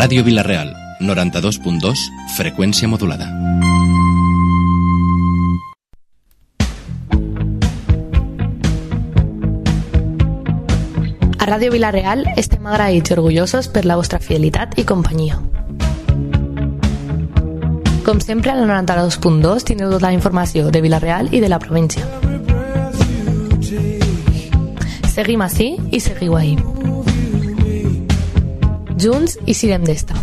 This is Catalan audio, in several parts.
Ràdio Vila-real, 92.2, freqüència modulada. A Ràdio Vila-real estem agraïts i orgullosos per la vostra fidelitat i companyia. Com sempre, al 92.2 tindreu tota la informació de Vila-real i de la província. Seguim ací i seguiu ahí. Junts i sirem d'esta.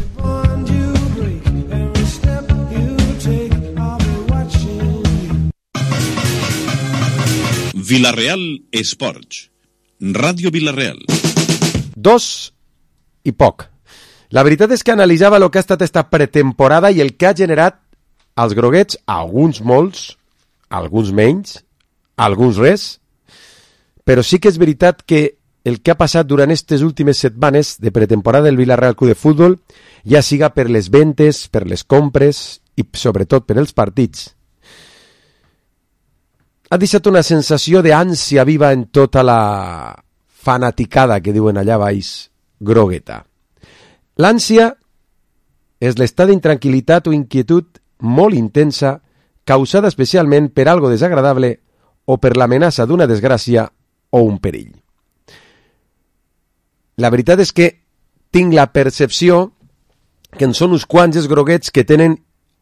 Vila-real Esports. Ràdio Vila-real. 2 i poc. La veritat és que analitzava el que ha estat esta pretemporada i el que ha generat als groguets, alguns molts, alguns menys, alguns res, però sí que és veritat que el que ha passat durant aquestes últimes setmanes de pretemporada del Vila-real Club de Futbol, ja siga per les ventes, per les compres i sobretot per els partits, ha deixat una sensació d'ànsia viva en tota la fanaticada que diuen allà baix grogueta. L'ànsia és l'estat d'intranquil·litat o inquietud molt intensa causada especialment per algo desagradable o per l'amenaça d'una desgràcia o un perill. La veritat és que tinc la percepció que en són uns quants els groguets que tenen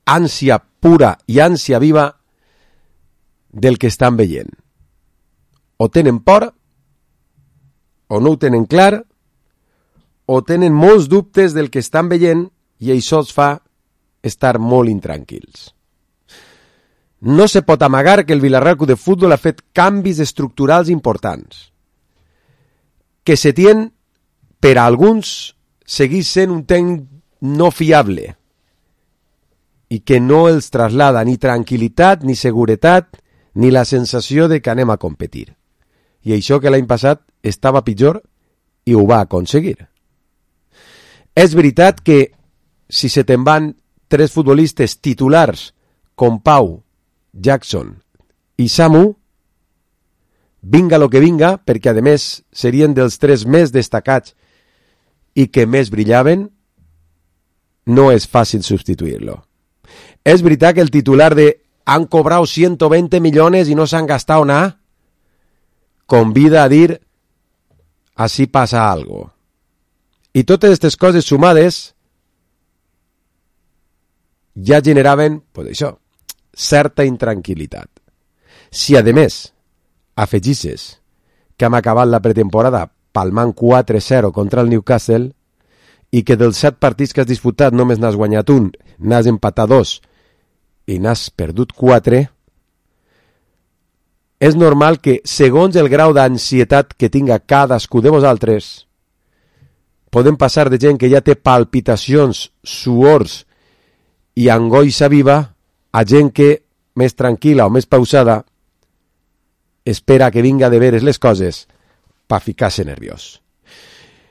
ànsia pura i ànsia viva del que estan veient. O tenen por, o no ho tenen clar, o tenen molts dubtes del que estan veient i això els fa estar molt intranquils. No se pot amagar que el Vila-real Club de Futbol ha fet canvis estructurals importants, que se tien per a alguns segueix sent un tècnic no fiable i que no els traslada ni tranquil·litat, ni seguretat, ni la sensació de que anem a competir. I això que l'any passat estava pitjor i ho va aconseguir. És veritat que si se te'n van 3 futbolistes titulars com Pau, Jackson i Samu, vinga lo que vinga, perquè a més serien dels 3 més destacats i que més brillaven, no és fàcil substituir-lo. És veritat que el titular de han cobrado 120 millones y no se han gastado nada, convida a dir así pasa algo. I totes aquestes coses sumades ja generaven, pues això, certa intranquil·litat. Si a més afegisses que hem acabat la pretemporada palmant 4-0 contra el Newcastle i que dels 7 partits que has disputat només n'has guanyat un, n'has empatat 2 i n'has perdut 4, és normal que, segons el grau d'ansietat que tinga cadascú de vosaltres, podem passar de gent que ja té palpitacions, suors i angoixa viva a gent que, més tranquil·la o més pausada, espera que vinga de veres les coses per ficar-se nerviós.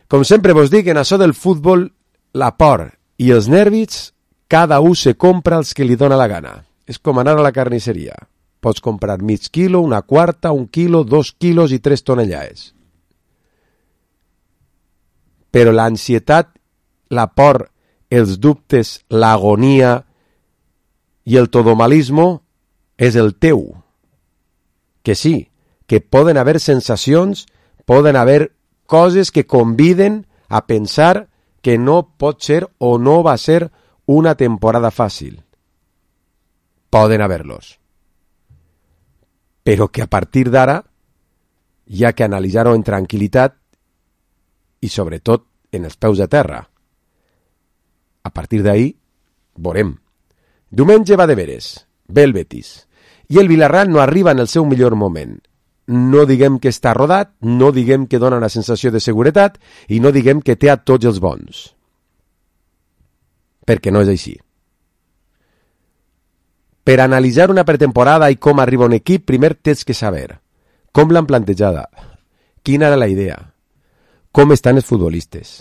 Com sempre vos dic, en això del futbol, la por i els nervis, cada un se compra els que li dóna la gana. És com anar a la carnisseria. Pots comprar mig quilo, una quarta, 1 quilo, 2 quilos i 3 tonellades. Però l'ansietat, la por, els dubtes, l'agonia i el todomalismo és el teu. Que sí, que poden haver sensacions, poden haver coses que conviden a pensar que no pot ser o no va ser una temporada fàcil. Poden haver-los. Però que a partir d'ara hi ha que analitzar-ho en tranquil·litat i sobretot en els peus de terra. A partir d'ahí, veurem. Diumenge va de veres, ve el Betis. I el Vila-real no arriba en el seu millor moment. No diguem que està rodat, no diguem que dona una sensació de seguretat i no diguem que té a tots els bons. Perquè no és així. Per analitzar una pretemporada i com arriba un equip, primer tens que saber com l'han plantejada, quina era la idea, com estan els futbolistes.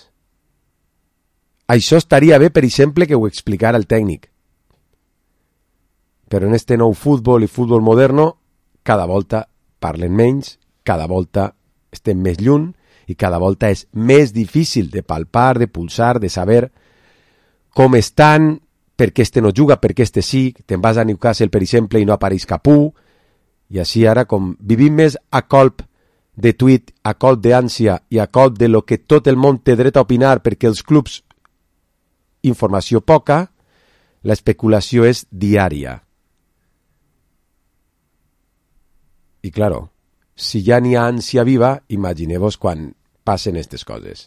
Això estaria bé, per exemple, que ho explicara el tècnic. Però en este nou futbol i futbol moderno, cada volta parlen menys, cada volta estem més lluny i cada volta és més difícil de palpar, de pulsar, de saber com estan, per què este no juga, per què este sí, te'n vas a Newcastle, per exemple, i no apareix Capú, i així ara, com vivim més a colp de tuit, a colp d'ànsia i a colp de lo que tot el món té dret a opinar perquè els clubs informació poca, l'especulació és diària. I claro, si ja n'hi ha ànsia viva, imagineu-vos quan passen aquestes coses.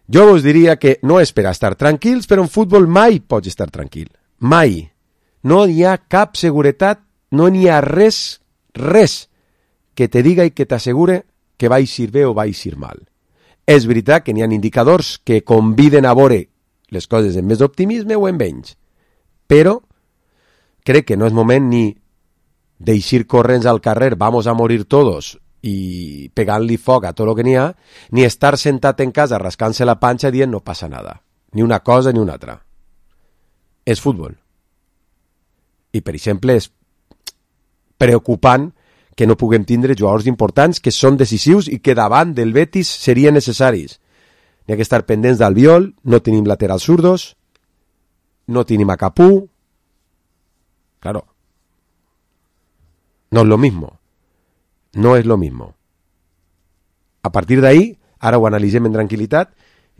Jo us diria que no és per estar tranquils, però en futbol mai pots estar tranquil. Mai. No hi ha cap seguretat, no n'hi ha res que te diga i que t'assegure que va eixir bé o va eixir mal. És veritat que n'hi ha indicadors que conviden a veure les coses amb més optimisme o amb menys, però crec que no és moment ni d'eixir corrents al carrer, vamos a morir todos, i pegant-li foc a tot el que n'hi ha, ni estar sentat en casa rascant-se la panxa dient no passa nada, ni una cosa ni una altra. És futbol. I, per exemple, és preocupant que no puguem tindre jugadors importants que són decisius i que davant del Betis serien necessaris. N'hi ha que estar pendents d'Albiol, no tenim laterals zurdos, no tenim a Capú. Claro. No es lo mismo. No es lo mismo. A partir d'ahí, ara ho analitzem en tranquil·litat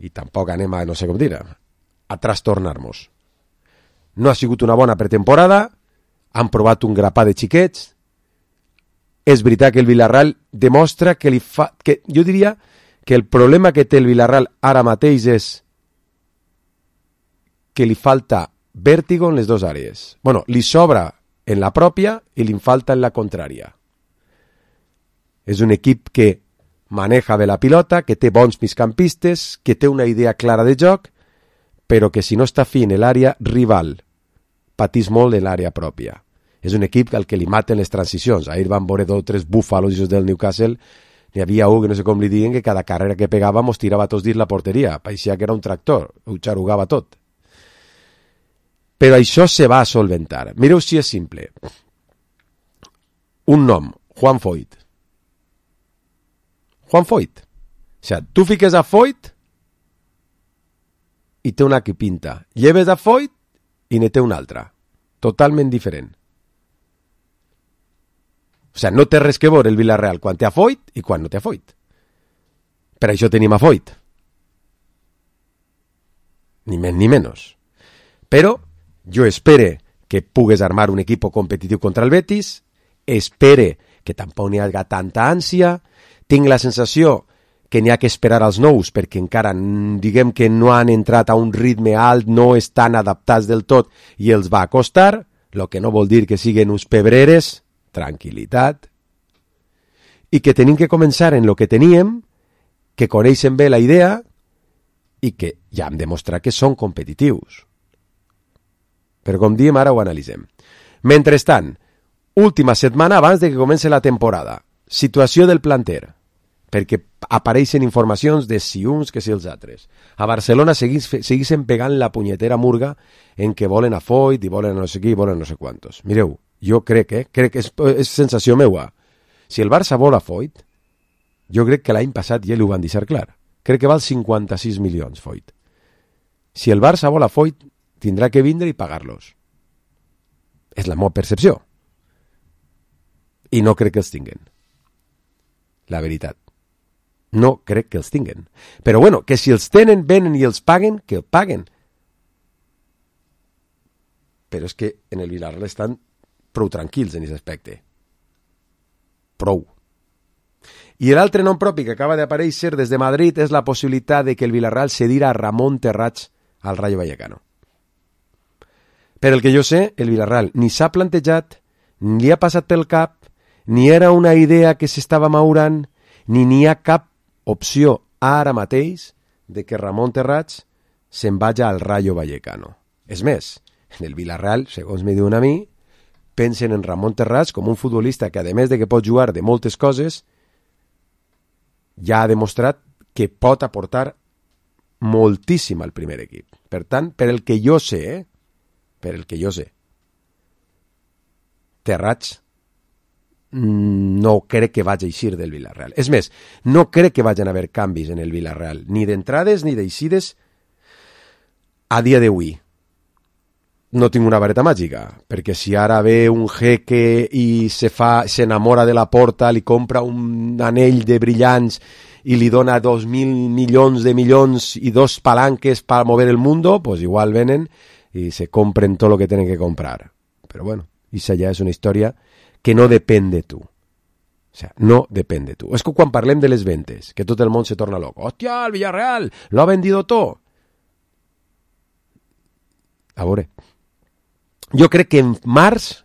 i tampoc anem a, no sé com dir, a trastornar-nos. No ha sigut una bona pretemporada, han provat un grapà de xiquets. És veritat que el Villarreal demostra que jo diria que el problema que té el Villarreal ara mateix és que li falta vèrtigo en les dues àrees. Bueno, li sobra en la pròpia i li falta en la contrària. És un equip que maneja bé la pilota, que té bons migcampistes, que té una idea clara de joc, però que si no està fi en l'àrea rival, patís molt en l'àrea pròpia. És un equip al que li maten les transicions. Ahir van veure 2 o 3 búfalos del Newcastle. N'hi havia un que no sé com li diguen que cada carrera que pegava mos tirava tots dins la porteria. Paeixia que era un tractor, ho xarugava tot. Però això se va a solventar. Mireu si és simple. Un nom, Juan Foyt. Juan Foyt. O sigui, tu fiques a Foyt i té una que pinta. Lleves a Foyt i ne té una altra. Totalment diferent. O sigui, no té res que veure el Villarreal quan té a Foyt i quan no té a Foyt. Per això tenim a Foyt. Ni més ni menys. Però jo espere que pugues armar un equip competitiu contra el Betis, espere que tampoc n'hi hagi tanta ànsia, tinc la sensació que n'hi ha que esperar als nous perquè encara diguem que no han entrat a un ritme alt, no estan adaptats del tot i els va costar, el que no vol dir que siguin uns pebreres, tranquil·litat, i que tenim que començar en el que teníem, que coneixen bé la idea i que ja hem demostrat que són competitius. Però com diem, ara ho analitzem. Mentrestant, última setmana abans de que comenci la temporada, situació del planter, perquè apareixen informacions de si uns que si els altres. A Barcelona segueixen pegant la punyetera murga en que volen a Foyt i volen no sé qui i volen no sé quantos. Mireu, jo crec que és sensació meua. Si el Barça vol a Foyt, jo crec que l'any passat ja li ho van deixar clar. Crec que val 56 milions, Foyt. Si el Barça vol a Foyt, tindrà que vindre i pagar-los. És la meva percepció. I no crec que els tinguen. La veritat. No crec que els tinguen. Però bueno, que si els tenen, venen i els paguen, que el paguen. Però és que en el Villarreal estan prou tranquils en aquest aspecte. Prou. I l'altre nom propi que acaba d'aparèixer des de Madrid és la possibilitat de que el Villarreal cedirà a Ramon Terrats al Rayo Vallecano. Per el que jo sé, el Villarreal ni s'ha plantejat, ni li ha passat pel cap, ni era una idea que s'estava maurant, ni n'hi ha cap opció ara mateix de que Ramon Terrats se'n vagi al Rayo Vallecano. És més, en el Villarreal, segons me diuen a mi, pensen en Ramon Terrats com un futbolista que, a més de que pot jugar de moltes coses, ja ha demostrat que pot aportar moltíssim al primer equip. Per tant, per el que jo sé, Terrats no crec que vagi a eixir del Villarreal. És més, no crec que vagin a haver canvis en el Villarreal, ni d'entrades ni d'eixides a dia d'avui no tinc una vareta màgica, perquè si ara ve un jeque i s'enamora de la Porta, li compra un anell de brillants i li dona 2.000 milions de milions i 2 palanques para mover el mundo, pues igual venen y se compren todo lo que tienen que comprar. Pero bueno, esa ya es una historia que no depèn de tu. O sea, no depèn de tu. És que quan parlem de les ventes, que tot el món se torna loco. Hòstia, el Villarreal, lo ha vendido todo. A veure, jo crec que en març,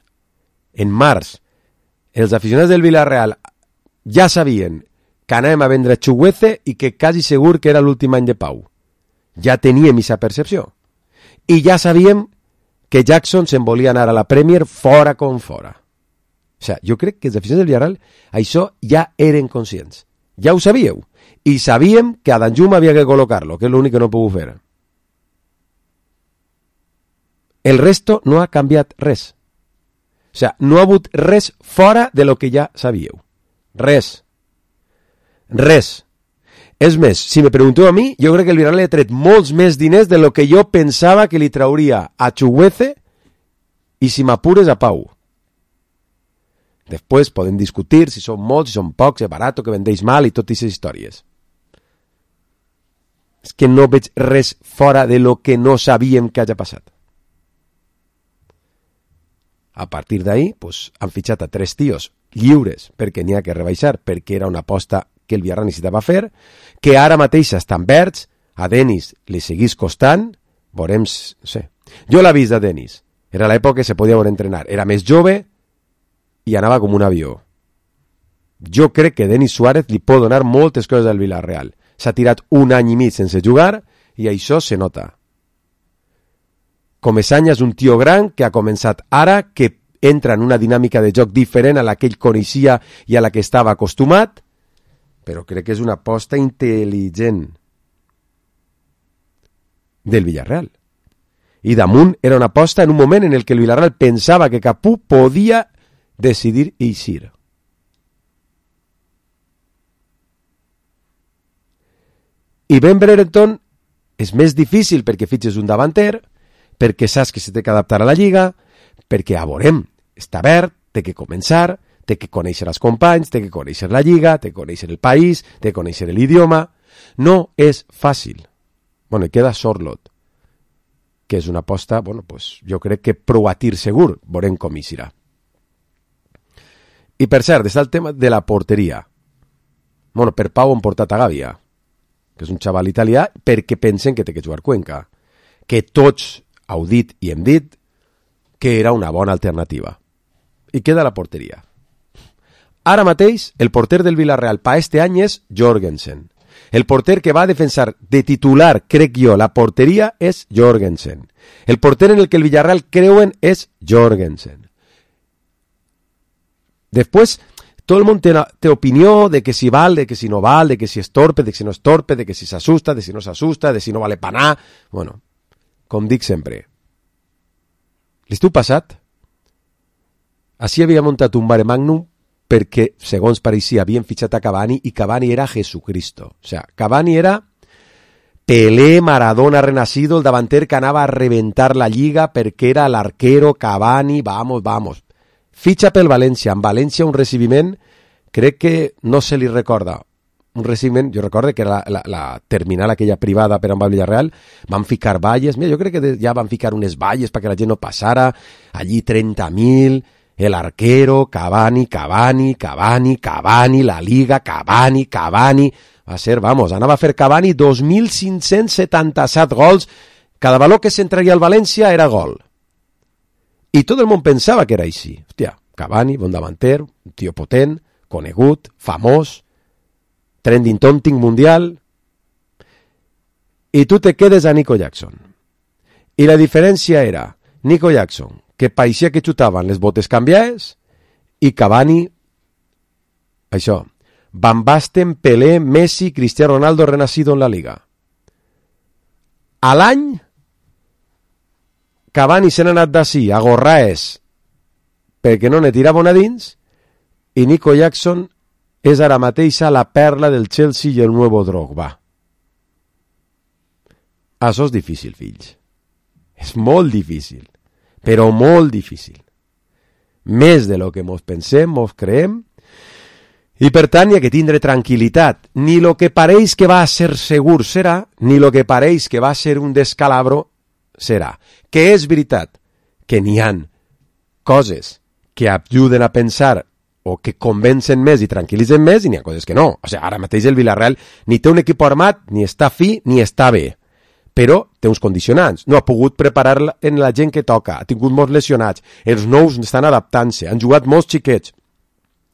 els aficionats del Villarreal ja sabien que anàvem a vendre Chukwueze i que quasi segur que era l'últim any de Pau. Ja teníem aquesta percepció. I ja sabíem que Jackson se'n volia anar a la Premier fora com fora. O sigui, jo crec que els aficionats del Villarreal això ja eren conscients. Ja ho sabíeu. I sabíem que a Danjuma havia que col·locar-lo, que és l'únic que no puc fer. El resto no ha canviat res. O sigui, no ha hagut res fora de lo que ja sabíeu. Res. Res. És més, si me pregunteu a mi, jo crec que el Villarreal li ha tret molts més diners de lo que jo pensava que li trauria a Chukwueze i, si m'apures, a Pau. Després podem discutir si són molts, si són pocs, si és barat, que vendeix mal i totes aquestes històries. És que no veig res fora de lo que no sabíem que hagi passat. A partir d'ahí, pues, han fitxat a 3 tios lliures perquè n'hi ha que rebaixar, perquè era una aposta que el Villarreal necessitava fer, que ara mateix estan verds, a Denis li seguís costant, veurem, no sé. Jo l'he vist a Denis, era l'època que se podia veure entrenar, era més jove i anava com un avió. Jo crec que Denis Suárez li pot donar moltes coses al Villarreal. S'ha tirat un any i mig sense jugar i això se nota. Comesaña és un tio gran que ha començat ara, que entra en una dinàmica de joc diferent a la que ell coneixia i a la que estava acostumat, però crec que és una aposta intel·ligent del Villarreal. I damunt era una aposta en un moment en el que el Villarreal pensava que Capú podia decidir eixir. I Ben Brereton és més difícil perquè fitxes un davanter, perquè saps que se té que adaptar a la Lliga, perquè, a veurem, està verd, té que començar, té que conèixer els companys, té que conèixer la Lliga, té que conèixer el país, té que conèixer l'idioma. No és fàcil. Bueno, i queda Sorlot, que és una aposta, bueno, pues, jo crec que prou a tir segur, veurem com hi serà. I per cert, està el tema de la porteria. Bueno, per Pau han portat a Gavia, que és un xaval italià, perquè pensen que té que jugar Cuenca, que tots heu dit i hem dit que era una bona alternativa. I queda la porteria. Ara mateix, el porter del Villarreal per este any és Jorgensen. El porter que va a defensar de titular, crec jo, la porteria és Jorgensen. El porter en el que el Villarreal creuen és Jorgensen. Després, tot el món té opinió de que si val, de que si no val, de que si és torpe, de que si no és torpe, de que si s'assusta, de si no s'assusta, de si no vale panar. Bueno, com dic sempre, l'estiu passat, així havia muntat un mare magnum perquè, segons pareixia, havien fitxat a Cavani i Cavani era Jesucristo. O sea, Cavani era Pelé, Maradona renacido, el davanter que anava a reventar la Lliga perquè era l'arquero Cavani, vamos. Fitxa pel València. En València un recibiment, crec que no se li recorda. Un recibiment, jo recordo que era la terminal aquella privada per amb el Villarreal, van ficar valles, mira, jo crec que ja van ficar unes valles perquè la gent no passara, allí 30.000, el arquero, Cavani, la Liga, Cavani, va ser, vamos, anava a fer Cavani 2.577 gols, cada valor que s'entraria al València era gol. I tot el món pensava que era així. Hòstia, Cavani, bon davanter, un tio potent, conegut, famós, trending topic mundial, i tu te quedes a Nico Jackson. I la diferència era Nico Jackson, que pareixia que xutaven les botes canviades, i Cavani, això, Van Basten, Pelé, Messi, Cristiano Ronaldo renacido en la Liga. A l'any, Cavani se n'ha anat d'ací a Gorraes perquè no ne tirava una dins, i Nico Jackson és ara mateix la perla del Chelsea i el nuevo Drogba. Això és difícil, fills. És molt difícil, però molt difícil. Més de lo que mos pensem, mos creem, i per tant hi ha que tindre tranquil·litat. Ni lo que pareix que va ser segur serà, ni lo que pareix que va ser un descalabro serà. Que és veritat que n'hi han coses que ajuden a pensar o que convencen més i tranquil·litzen més, i n'hi ha coses que no. O sigui, ara mateix el Villarreal ni té un equip armat, ni està fi, ni està bé. Però té uns condicionants. No ha pogut preparar en la gent que toca, ha tingut molts lesionats, els nous estan adaptant-se, han jugat molts xiquets.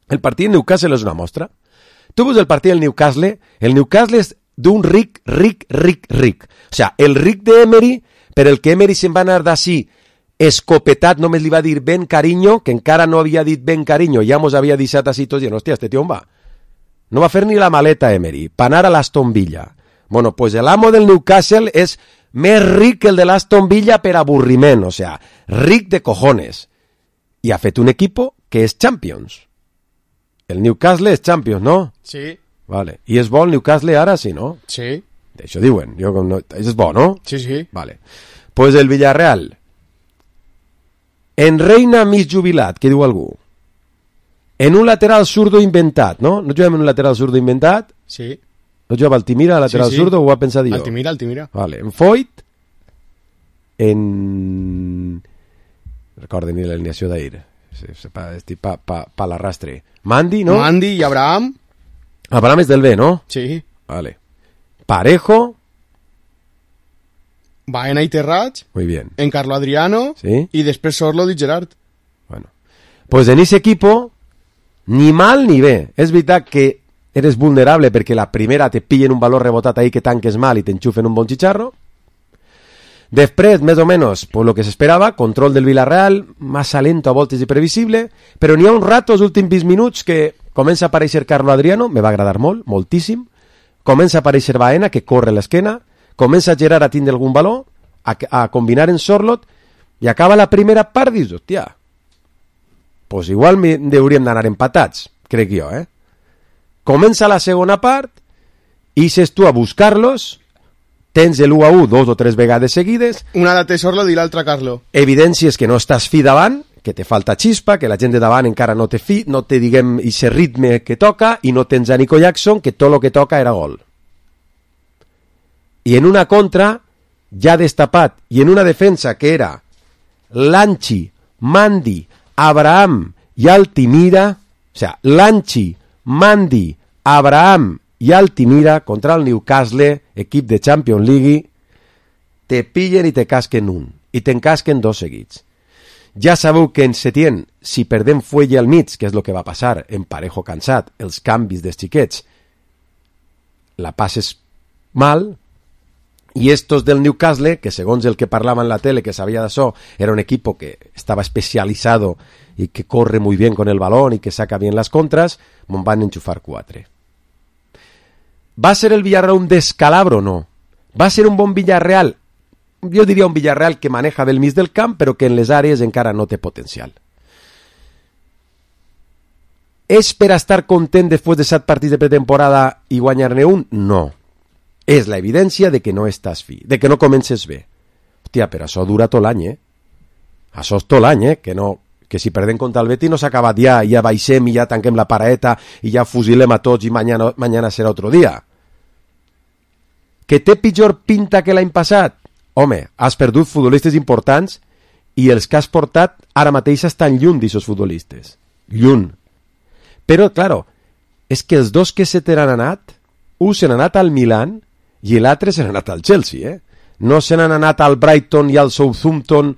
El partit del Newcastle és una mostra. Tu veus el partit del Newcastle és d'un ric. O sigui, el ric d'Emery, per el que Emery se'n va anar d'ací escopetat, només li va dir ben carinyo, que encara no havia dit ben carinyo, ja mos havia deixat així tots, i hòstia, este tio on va? No va fer ni la maleta Emery, per anar a l'Aston Villa. Bueno, pues el amo del Newcastle és més ric que el de l'Aston Villa per avorriment, o sea, ric de cojones. I ha fet un equipo que és Champions. El Newcastle és Champions, no? Sí. Vale. I és bo el Newcastle ara, sí, no? Sí. D'això diuen. Jo, no, és bo, no? Sí, sí. Vale. Pues el Villarreal. En reina mig jubilat, què diu algú? En un lateral zurdo inventat, no? No juguem en un lateral zurdo inventat? Sí. No jugava Altimira, lateral zurdo, ho va pensar jo? Altimira. Vale. En Foyt, en... Recorden ni l'alineació d'ahir. Estic pa l'arrastre. Mandi, no? Mandi i Abraham. Abraham és del B, no? Sí. Vale. Parejo. Baena i Terrats. Muy bien. En Carlo Adriano. Sí. I després Sorlo i Gerard. Bueno. Pues en ese equipo, ni mal ni bé. És veritat que eres vulnerable perquè la primera te pillen un valor rebotat ahí que tanques mal i t'enxufen un bon chicharro. Després, més o menys, pues lo que s'esperava, control del Villarreal, massa lento a voltes i previsible, però n'hi ha un rato, els últims 20 minuts, que comença a aparèixer Carlo Adriano, me va agradar molt, moltíssim, comença a aparèixer Baena, que corre l'esquena, comença Gerard a tindre algun valor, a combinar en Sorlot, i acaba la primera part, dius, hòstia, pues igual hauríem d'anar empatats, crec jo, Comença la segona part, i ses tu a buscar-los, tens l'1-1 2 o 3 vegades seguides. Una la té Sorlo i l'altra Carlo. Evidències que no estàs fi davant, que te falta xispa, que la gent de davant encara no té fi, no té, diguem, ese ritme que toca, i no tens a Nico Jackson, que tot el que toca era gol. I en una contra, ja destapat, i en una defensa que era Lanchi, Mandi, Abraham i Altimira, o sea, Lanchi, Mandi, Abraham i Altimira contra el Newcastle, equip de Champions League, te pillen i te casquen un, i t'encasquen 2 seguits. Ja sabeu que en Setién, si perdem Fuelle al mig, que és el que va passar en Parejo cansat, els canvis dels xiquets, la passes mal, i estos del Newcastle, que segons el que parlava en la tele, que sabia d'això, era un equipo que estava especializado y que corre muy bien con el balón y que saca bien las contras, me'n van enxufar 4. ¿Va a ser el Villarreal un descalabro? No. ¿Va a ser un bon Villarreal? Jo diria un Villarreal que maneja del mig del camp, però que en les àrees encara no té potencial. És per estar content després de 7 partits de pretemporada i guanyar-ne un? No. És la evidència de que no estàs fi, de que no comences bé. Hòstia, però això dura tot l'any, Això és tot l'any, que si perdem contra el Betis no s'ha acabat ja baixem i ja tanquem la paraeta i ja fusilem a tots i mañana serà otro dia. Que té pitjor pinta que l'any passat? Home, has perdut futbolistes importants i els que has portat ara mateix estan lluny d'aixòs futbolistes. Lluny. Però, claro, és que els dos que se t'han anat, un se n'ha anat al Milan i l'altre se n'ha anat al Chelsea, No se n'han anat al Brighton i al Southampton,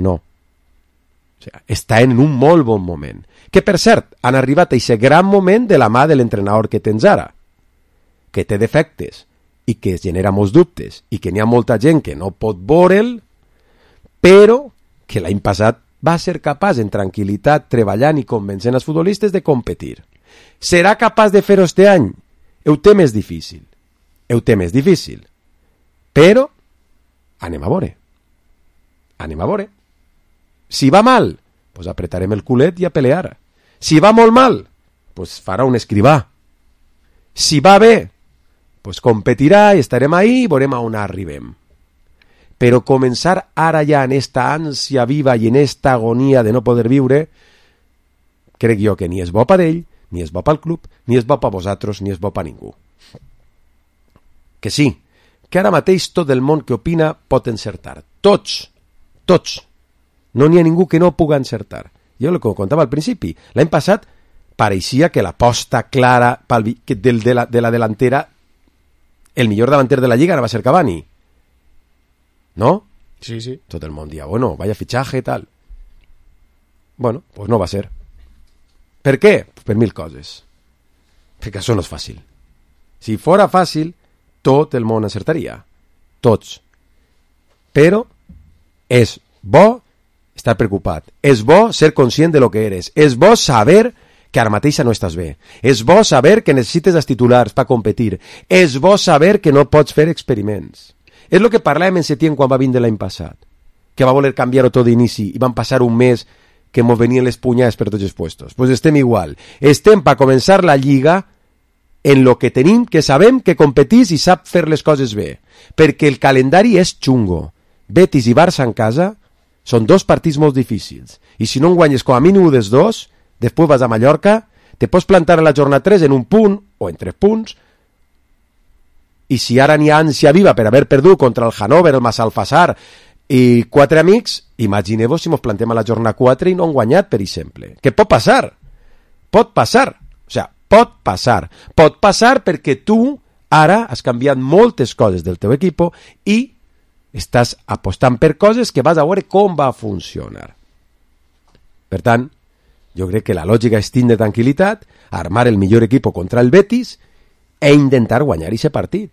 no. O sigui, està en un molt bon moment. Que, per cert, han arribat a aquest gran moment de la mà de l'entrenador que tens ara, que té defectes i que genera molts dubtes i que n'hi ha molta gent que no pot veure'l, però que l'any passat va ser capaç, en tranquil·litat, treballant i convencent els futbolistes de competir. Serà capaç de fer-ho este any? Ho té més difícil. Però anem a veure. Si va mal, pues apretarem el culet i a pelear. Si va molt mal, pues farà un escrivà. Si va bé, pues competirà i estarem ahí i veurem a on arribem. Però començar ara ja en esta ànsia viva i en esta agonia de no poder viure, crec jo que ni és bo per ell, ni és bo pel club, ni és bo per vosaltres, ni és bo per ningú. Que sí, que ara mateix tot el món que opina pot encertar. Tots. No n'hi ha ningú que no pugui encertar. Jo el que contava al principi, l'any passat pareixia que l'aposta clara de la delantera, el millor davanter de la Lliga ara va ser Cavani. ¿No? Sí, sí. Tot el món dia, bueno, vaya fichaje, tal. Bueno, pues no va ser. Per què? Pues per 1000 coses. Perquè això no és fàcil. Si fora fàcil, tot el món encertaria. Tots. Però és bo estar preocupat. És bo ser conscient de lo que eres. És bo saber que ara mateixa no estàs bé. És bo saber que necessites els titulars per competir. És bo saber que no pots fer experiments. És el que parlàvem en Setién quan va vindre l'any passat, que va voler canviar-ho tot d'inici i van passar un mes que mos venien les punyades per tots els puestos. Pues estem igual. Estem per començar la Lliga en lo que tenim, que sabem que competís i sap fer les coses bé. Perquè el calendari és xungo. Betis i Barça en casa són 2 partits molt difícils. I si no en guanyes com a mínim dels 2, després vas a Mallorca, te pots plantar a la jornada 3 en un punt o en 3 punts, i si ara n'hi ha ànsia viva per haver perdut contra el Hannover, el Massalfassar i 4 amics, imagineu-vos si mos plantem a la jornada 4 i no han guanyat, per exemple. Què pot passar? Pot passar. O sigui, pot passar. Pot passar perquè tu ara has canviat moltes coses del teu equip i estàs apostant per coses que vas a veure com va funcionar. Per tant, jo crec que la lògica és tindre tranquil·litat, armar el millor equip contra el Betis e intentar guanyar aquest partit.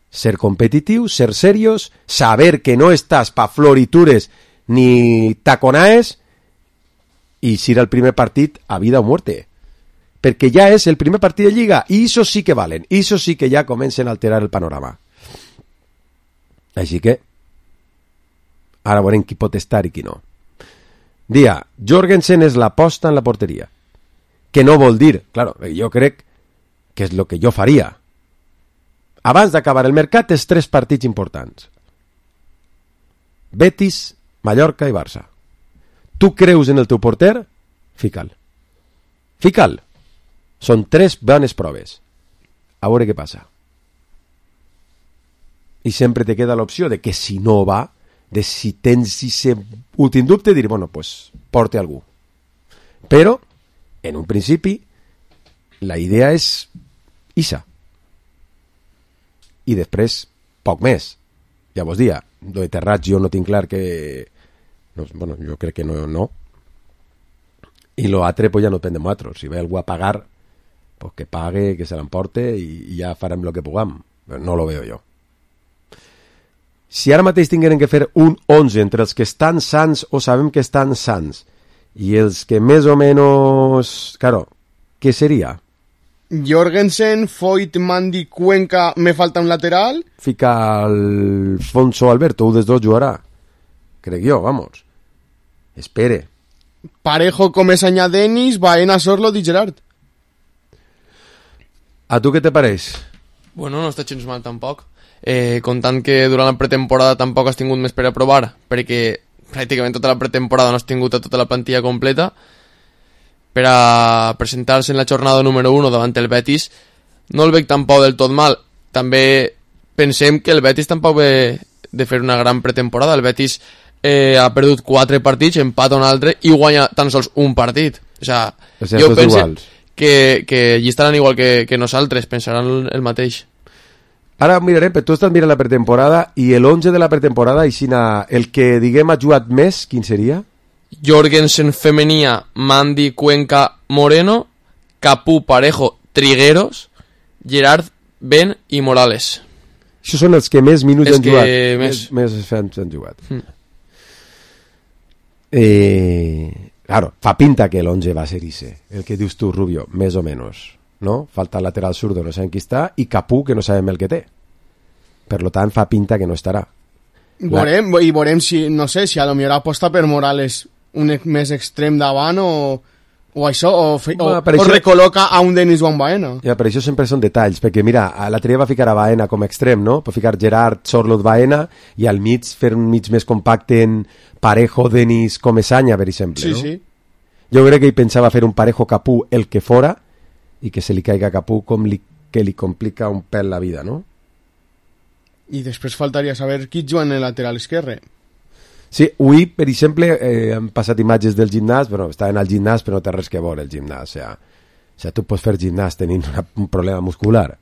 Ser competitiu, ser serios, saber que no estàs pa floritures ni taconaes i si era el primer partit a vida o muerte. Perquè ja és el primer partit de Lliga i això sí que valen, i això sí que ja comencen a alterar el panorama. Així que ara veurem qui pot estar i qui no. Dia, Jorgensen és l'aposta en la porteria. Que no vol dir, claro, jo crec que és el que jo faria. Abans d'acabar el mercat, és 3 partits importants. Betis, Mallorca i Barça. Tu creus en el teu porter? Fica'l. Fica'l. Són 3 bones proves. A veure què passa. I sempre te queda l'opció de que si no va, de si tens aquest últim dubte, dir, bueno, pues porte algú. Però, en un principi, la idea és Isa. I després, poc més. Ja vos dia, lo de Terrats jo no tinc clar que... No, bueno, jo crec que no. I lo altre, pues ja no depèn de nosaltres. Si ve algú a pagar, pues que pague, que se l'emporte i ja farem lo que puguem. Però no lo veo jo. Si ara mateix tingueren que fer un 11 entre els que estan sants o sabem que estan sants i els que més o menys... Claro, què seria? Jorgensen, Foyt, Mandy, Cuenca, me falta un lateral. Fica Alfonso Alberto, un dels 2 jugarà. Crec jo, vamos. Espere. Parejo, Comesaña, Denis, Baena, Sorlo, Di Gerard. A tu què te pareix? Bueno, no està gens mal tampoc. Comptant que durant la pretemporada tampoc has tingut més per a provar, perquè pràcticament tota la pretemporada no has tingut a tota la plantilla completa, per a presentar-se en la jornada número 1 davant el Betis, no el veig tampoc del tot mal. També pensem que el Betis tampoc ve de fer una gran pretemporada. El Betis ha perdut 4 partits, empata un altre i guanya tan sols un partit. O sigui, jo penso que allí estaran igual que nosaltres, pensaran el mateix. Ara mirarem, però tu estàs mirant la pretemporada i l'11 de la pretemporada, el que diguem ha jugat més, quin seria? Jorgensen, Femenia, Mandy, Cuenca, Moreno, Capú, Parejo, Trigueros, Gerard, Ben i Morales. Això són els que més minuts han jugat. Més han jugat. Claro, fa pinta que l'11 va ser ese, el que dius tu, Rubio, més o menys. No? Falta el lateral zurdo, no sabem qui està, i Capú, que no sabem el que té. Per lo tant, fa pinta que no estarà. Veurem si, no sé, si a lo millor aposta per Morales un més extrem davant o O això, Per o això- recol·loca a un Denis o a un Baena. Ja, però això sempre són detalls, perquè mira, l'altre dia va ficar a Baena com a extrem, no? Va ficar Gerard, Sorloth, Baena, i al mig fer un mig més compacte en Parejo, Denis, Comesaña, per exemple, Sí, no? sí. Jo crec que ell pensava fer un Parejo Capú el que fora, i que se li caiga a Capú que li complica un pèl la vida, no? I després faltaria saber qui juga en el lateral esquerre. Sí, avui, per exemple, han passat imatges del gimnàs, però estaven al gimnàs, però no té res que veure el gimnàs. O sigui, tu pots fer gimnàs tenint un problema muscular.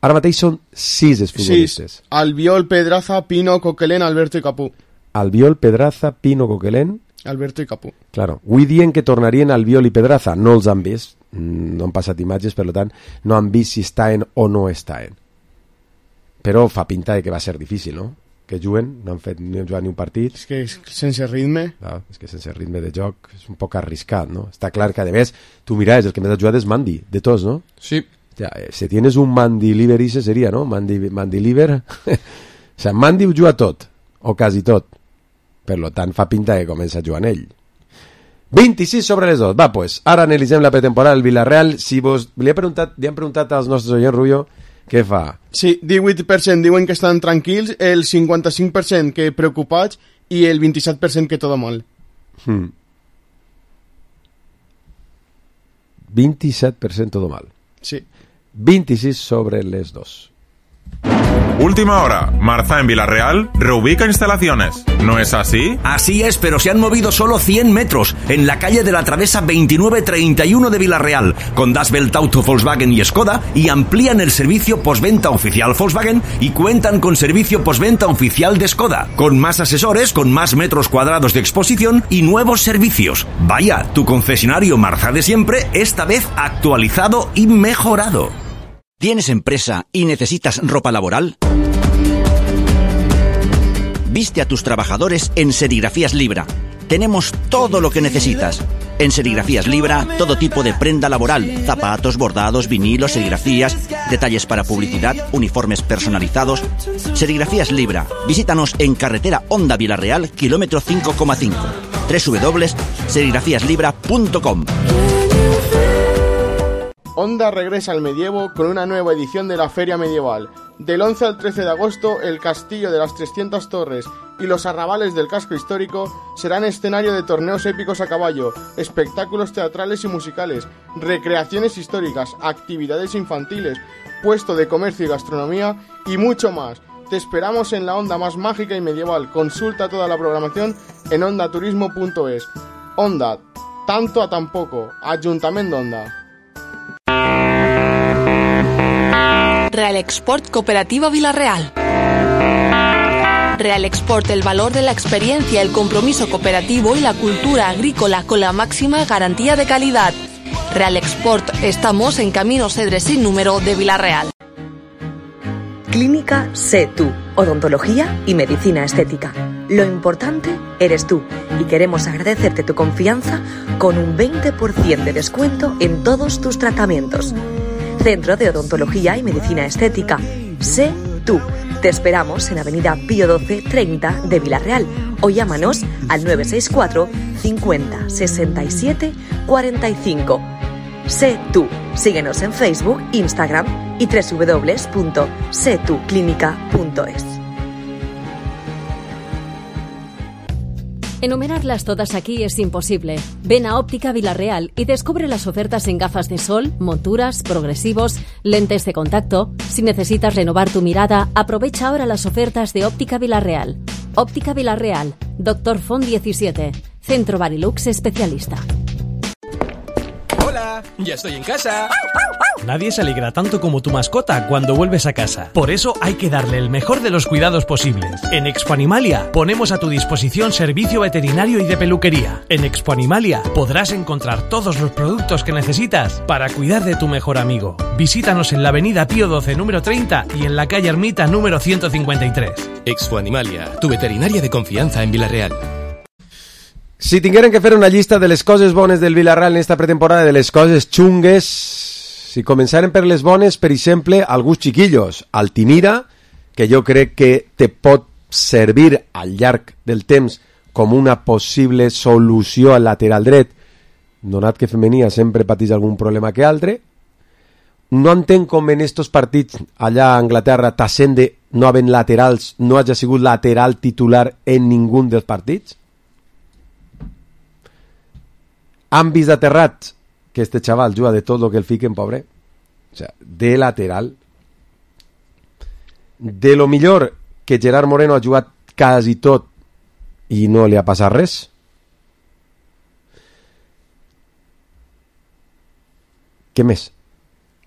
Ara mateix són 6 futbolistes. Sí, Albiol, Pedraza, Pino, Coquelin, Alberto i Capú. Albiol, Pedraza, Pino, Coquelin. Alberto i Capú. Claro, avui dient que tornarien Albiol i Pedraza, no els han vist, no han passat imatges, per tant, no han vist si estaven o no estaven. Però fa pinta de que va ser difícil, no? Que juguen, no han fet ni han jugat ni un partit. És que sense ritme... Clar, és que sense ritme de joc és un poc arriscat, no? Està clar que, a més, tu miraves, el que més ha jugat és Mandy, de tots, no? Sí. Ja, si tienes un Mandy Liver, ese seria, no? Mandy Liver... o sigui, Mandy ho juga tot, o quasi tot. Per lo tant, fa pinta que comença jugant ell. 26 sobre les 2. Va, pues, ara analitzem la pretemporada del Villarreal. Si vos li han preguntat als nostres oients, Rubio, què fa? Sí, 18% diuen que estan tranquils, el 55% que preocupats i el 27% que todo mal. 27% todo mal. Sí. 26 sobre les 2. Última hora. Marza en Villarreal reubica instalaciones. ¿No es así? Así es, pero se han movido solo 100 metros en la calle de la Travesa 2931 de Villarreal, con Das Welt Auto, Volkswagen y Skoda, y amplían el servicio postventa oficial Volkswagen y cuentan con servicio postventa oficial de Skoda, con más asesores, con más metros cuadrados de exposición y nuevos servicios. Vaya, tu concesionario Marza de siempre, esta vez actualizado y mejorado. ¿Tienes empresa y necesitas ropa laboral? Viste a tus trabajadores en Serigrafías Libra. Tenemos todo lo que necesitas. En Serigrafías Libra, todo tipo de prenda laboral, zapatos, bordados, vinilos, serigrafías, detalles para publicidad, uniformes personalizados. Serigrafías Libra. Visítanos en carretera Honda Villarreal, kilómetro 5,5. www.serigrafíaslibra.com. Honda regresa al medievo con una nueva edición de la Feria Medieval. Del 11 al 13 de agosto, el Castillo de las 300 Torres y los arrabales del casco histórico serán escenario de torneos épicos a caballo, espectáculos teatrales y musicales, recreaciones históricas, actividades infantiles, puesto de comercio y gastronomía y mucho más. Te esperamos en la Honda más mágica y medieval. Consulta toda la programación en hondaturismo.es. Honda, tanto a tan poco. Ayuntamiento Honda. Real Export Cooperativa Villarreal. Real Export, el valor de la experiencia, el compromiso cooperativo y la cultura agrícola con la máxima garantía de calidad. Real Export, estamos en Camino Cedres sin número de Villarreal. Clínica Sé Tú, odontología y medicina estética. Lo importante eres tú y queremos agradecerte tu confianza con un 20% de descuento en todos tus tratamientos. Centro de Odontología y Medicina Estética. Sé Tú. Te esperamos en Avenida Pío 12 30 de Villarreal o llámanos al 964 50 67 45. Sé Tú. Síguenos en Facebook, Instagram y www.setuclinica.es. Enumerarlas todas aquí es imposible. Ven a Óptica Villarreal y descubre las ofertas en gafas de sol, monturas, progresivos, lentes de contacto. Si necesitas renovar tu mirada, aprovecha ahora las ofertas de Óptica Villarreal. Óptica Villarreal, Dr. Font 17, Centro Barilux Especialista. Hola, ya estoy en casa. Nadie se alegra tanto como tu mascota cuando vuelves a casa. Por eso hay que darle el mejor de los cuidados posibles. En Expo Animalia ponemos a tu disposición servicio veterinario y de peluquería. En Expo Animalia podrás encontrar todos los productos que necesitas para cuidar de tu mejor amigo. Visítanos en la avenida Pío 12 número 30 y en la calle Ermita número 153. Expo Animalia, tu veterinaria de confianza en Villarreal. Si tingueren que fer una llista de les coses bones del Villarreal en esta pretemporada, de les coses xungues, si començaren per les bones, per exemple, alguns chiquillos, Altimira, que jo crec que te pot servir al llarg del temps com una possible solució al lateral dret, donat que femenia sempre pateix algun problema que altre. No entenc com en estos partits allà a Anglaterra Tassende no havent laterals no hagi sigut lateral titular en ningú dels partits. Han vist aterrat que este xaval juga de tot el que el fiquen, pobre. O sea, de lateral. De lo millor que Gerard Moreno ha jugat quasi tot i no li ha passat res. Què més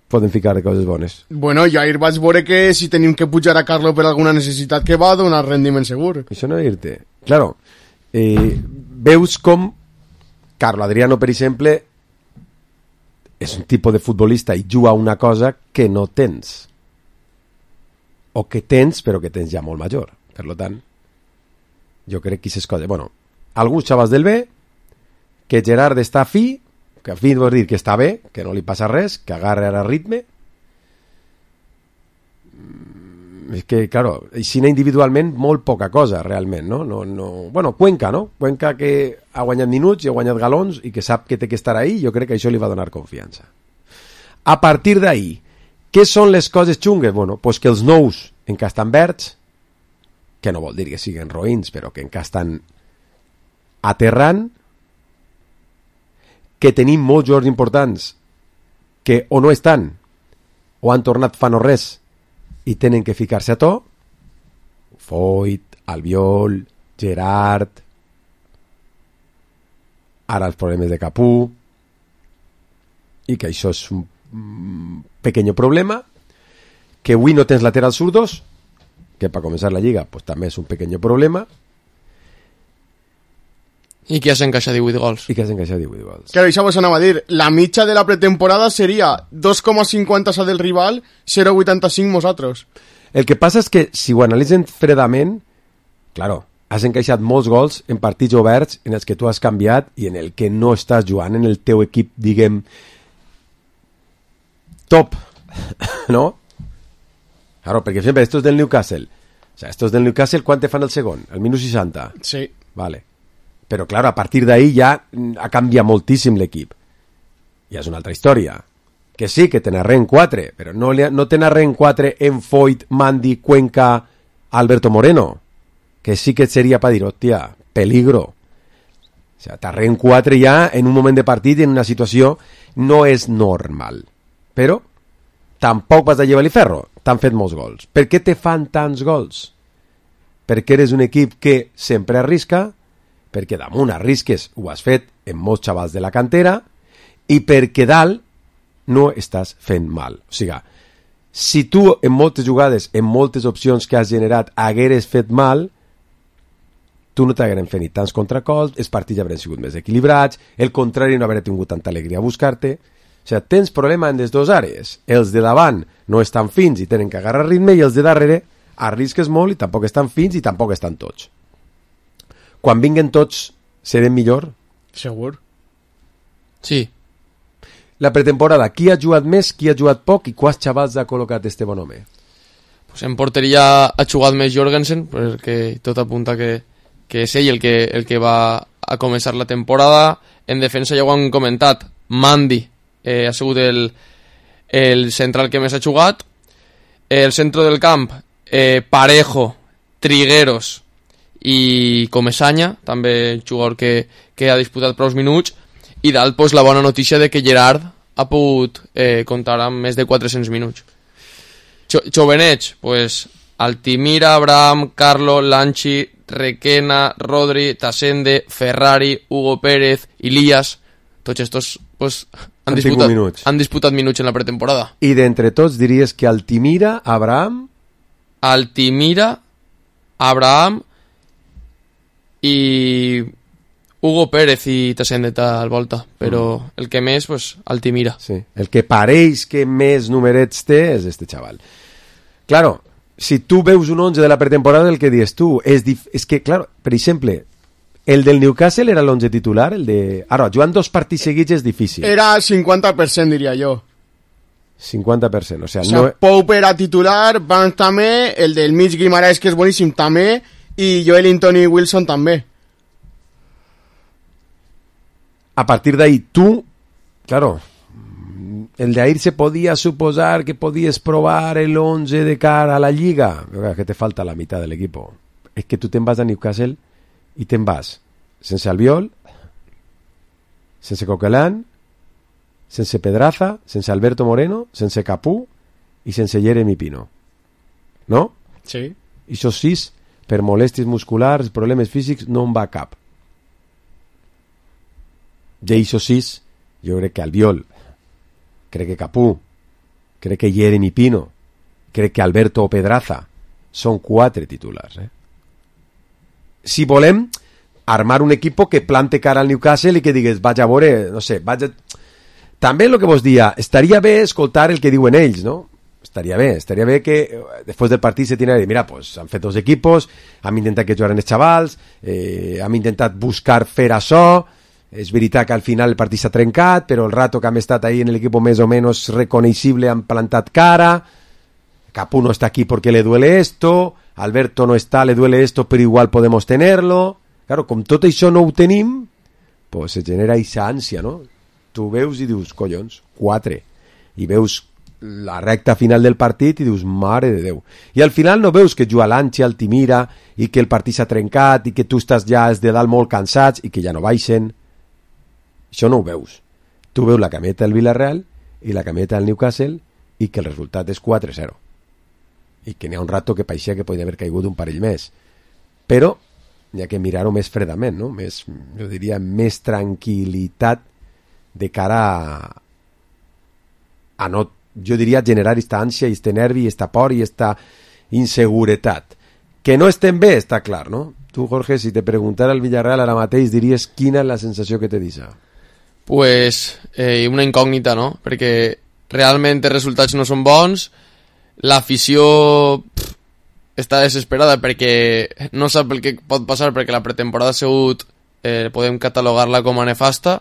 poden ficar de coses bones? Bueno, jo ahir vaig veure que si tenim que pujar a Carlo per alguna necessitat que va donar rendiment segur. Això no dir-te. Claro, veus com Carlo Adriano, per exemple, és un tipus de futbolista i juga una cosa que no tens. O que tens, però que tens ja molt major. Per tant, jo crec que aquestes coses... Bueno, alguns xavals del B, que Gerard està fi, que fi vol dir que està bé, que no li passa res, que agarra ara ritme. És que, claro, aixina individualment molt poca cosa, realment, no? Bueno, Cuenca, no? Cuenca que ha guanyat minuts i ha guanyat galons i que sap que té que estar ahí, jo crec que això li va donar confiança. A partir d'ahí, què són les coses xungues? Bueno, pues que els nous encara estan verds, que no vol dir que siguin roïns, però que encara estan aterrant, que tenim molts jugadors importants que o no estan o han tornat fa no res i tenen que ficar-se a to. Foyt, Albiol, Gerard, ara els problemes de Capú, i que això és un pequeño problema, que avui no tens laterals zurdos, que per començar la lliga pues, també és un pequeño problema, i que has encaixat 18 gols. I que has encaixat 18 gols. Claro, això vos anava a dir, la mitja de la pretemporada seria 2,50 sa del rival, 0,85 nosaltres. El que passa és que si ho analitzen fredament, claro, has encaixat molts gols en partits oberts en els que tu has canviat i en el que no estàs jugant en el teu equip, diguem, top, ¿no? Claro, perquè sempre estos del Newcastle, o sea, estos del Newcastle, ¿cuán te fan el segon? El minut 60? Sí. Vale. Però, claro, a partir d'ahí ja ha canviat moltíssim l'equip. Ja és una altra història. Que sí, que te narren 4, però no te narren 4 en Foyt, Mandy, Cuenca, Alberto Moreno. Que sí que seria per dir, hòstia, peligro. O sea, te narren 4 ja en un moment de partit en una situació no és normal. Però tampoc vas a llevar-li ferro. T'han fet molts gols. Per què te fan tants gols? Perquè eres un equip que sempre arrisca, perquè damunt arrisques, ho has fet en molts xavals de la cantera, i perquè dalt no estàs fent mal. O sigui, si tu en moltes jugades, en moltes opcions que has generat, hagueres fet mal, tu no t'hagueren fet ni tants contracols, els partits haurien sigut més equilibrats, el contrari no hauria tingut tanta alegria a buscar-te. O sigui, tens problema en les dues àrees. Els de davant no estan fins i tenen que agarrar ritme, i els de darrere arrisques molt i tampoc estan fins i tampoc estan tots. Quan vinguen tots, serem millor? Segur. Sí. La pretemporada, qui ha jugat més, qui ha jugat poc i quants xavals ha col·locat este bon home? Pues en porteria ha jugat més Jorgensen, perquè tot apunta que és ell el que va a començar la temporada. En defensa ja ho han comentat, Mandy ha sigut el central que més ha jugat. El centre del camp, Parejo, Trigueros i Comesaña, també jugador que ha disputat prou minuts, i dalt pues, la bona notícia de que Gerard ha pogut comptar amb més de 400 minuts. Jovenet, pues, Altimira, Abraham, Carlo, Lanchi, Requena, Rodri, Tassende, Ferrari, Hugo Pérez, Ilías, tots estos pues, han disputat minuts en la pretemporada. I d'entre tots diries que Altimira, Abraham, i Hugo Pérez i Tassende al volta, però el que més, pues, Altimira. Sí, el que pareix que més numerets té és este xaval. Claro, si tu veus un 11 de la pretemporada, el que dius tu és que, claro, per exemple, el del Newcastle era l'11 titular, el de... Ara, jugant 2 partits seguits és difícil. Era 50%, diria jo. 50%, o sea, no... Pope era titular, Barnes també, el del mig Guimaraes, que és boníssim, també, i Joelinton i Wilson també. a partir de ahí tú, claro, el de ahí se podía suposar que podías probar el 11 de cara a la Lliga, pero que te falta la mitad del equipo. Es que tú te'n vas a Newcastle i te'n vas sense Albiol, sense Coquelin, sense Pedraza, sense Alberto Moreno, sense Capú i sense Jeremy Pino. No? Sí. I això 6, per molèsties musculars, problemes físics, no en va cap. I això 6, jo crec que Albiol, crec que Capú, crec que Jeremy Pino, crec que Alberto Pedraza, són 4 titulars. Si volem armar un equipo que plante cara al Newcastle i que digues, vaig a veure, no sé, vaig a... També el que vos dia, estaria bé escoltar el que diuen ells, no? Estaria bé que després del partit se tindria de dir, mira, pues han fet 2 equipos, hem intentat que jugaren els xavals, hem intentat buscar fer això, és veritat que al final el partit s'ha trencat, però el rato que hem estat ahí en el equipo més o menos reconeixible han plantat cara, Capú no está aquí porque le duele esto, Alberto no está, le duele esto, pero igual podemos tenerlo. Claro, com tot això no ho tenim, pues se genera aquesta ànsia, no? Tu veus i dius, collons, 4, i veus la recta final del partit i dius, mare de Déu. I al final no veus que juga l'Anchi, el Timira, i que el partit s'ha trencat, i que tu estàs ja de dalt molt cansats, i que ja no baixen. Això no ho veus. Tu veus la cameta del Villarreal i la cameta del Newcastle, i que el resultat és 4-0. I que n'hi ha un rato que pareixia que podia haver caigut un parell més. Però hi ha que mirar-ho més fredament, no? Més, jo diria, més tranquil·litat de cara a no, jo diria, generar esta ànsia, este nervi, esta por i esta inseguretat. Que no estem bé, està clar, no? Tu, Jorge, si te preguntara el Villarreal ara mateix, diries quina és la sensació que te deixa? Pues una incògnita, no? Perquè realment els resultats no són bons, l'afició està desesperada perquè no sap el que pot passar, perquè la pretemporada ha sigut, podem catalogar-la com a nefasta,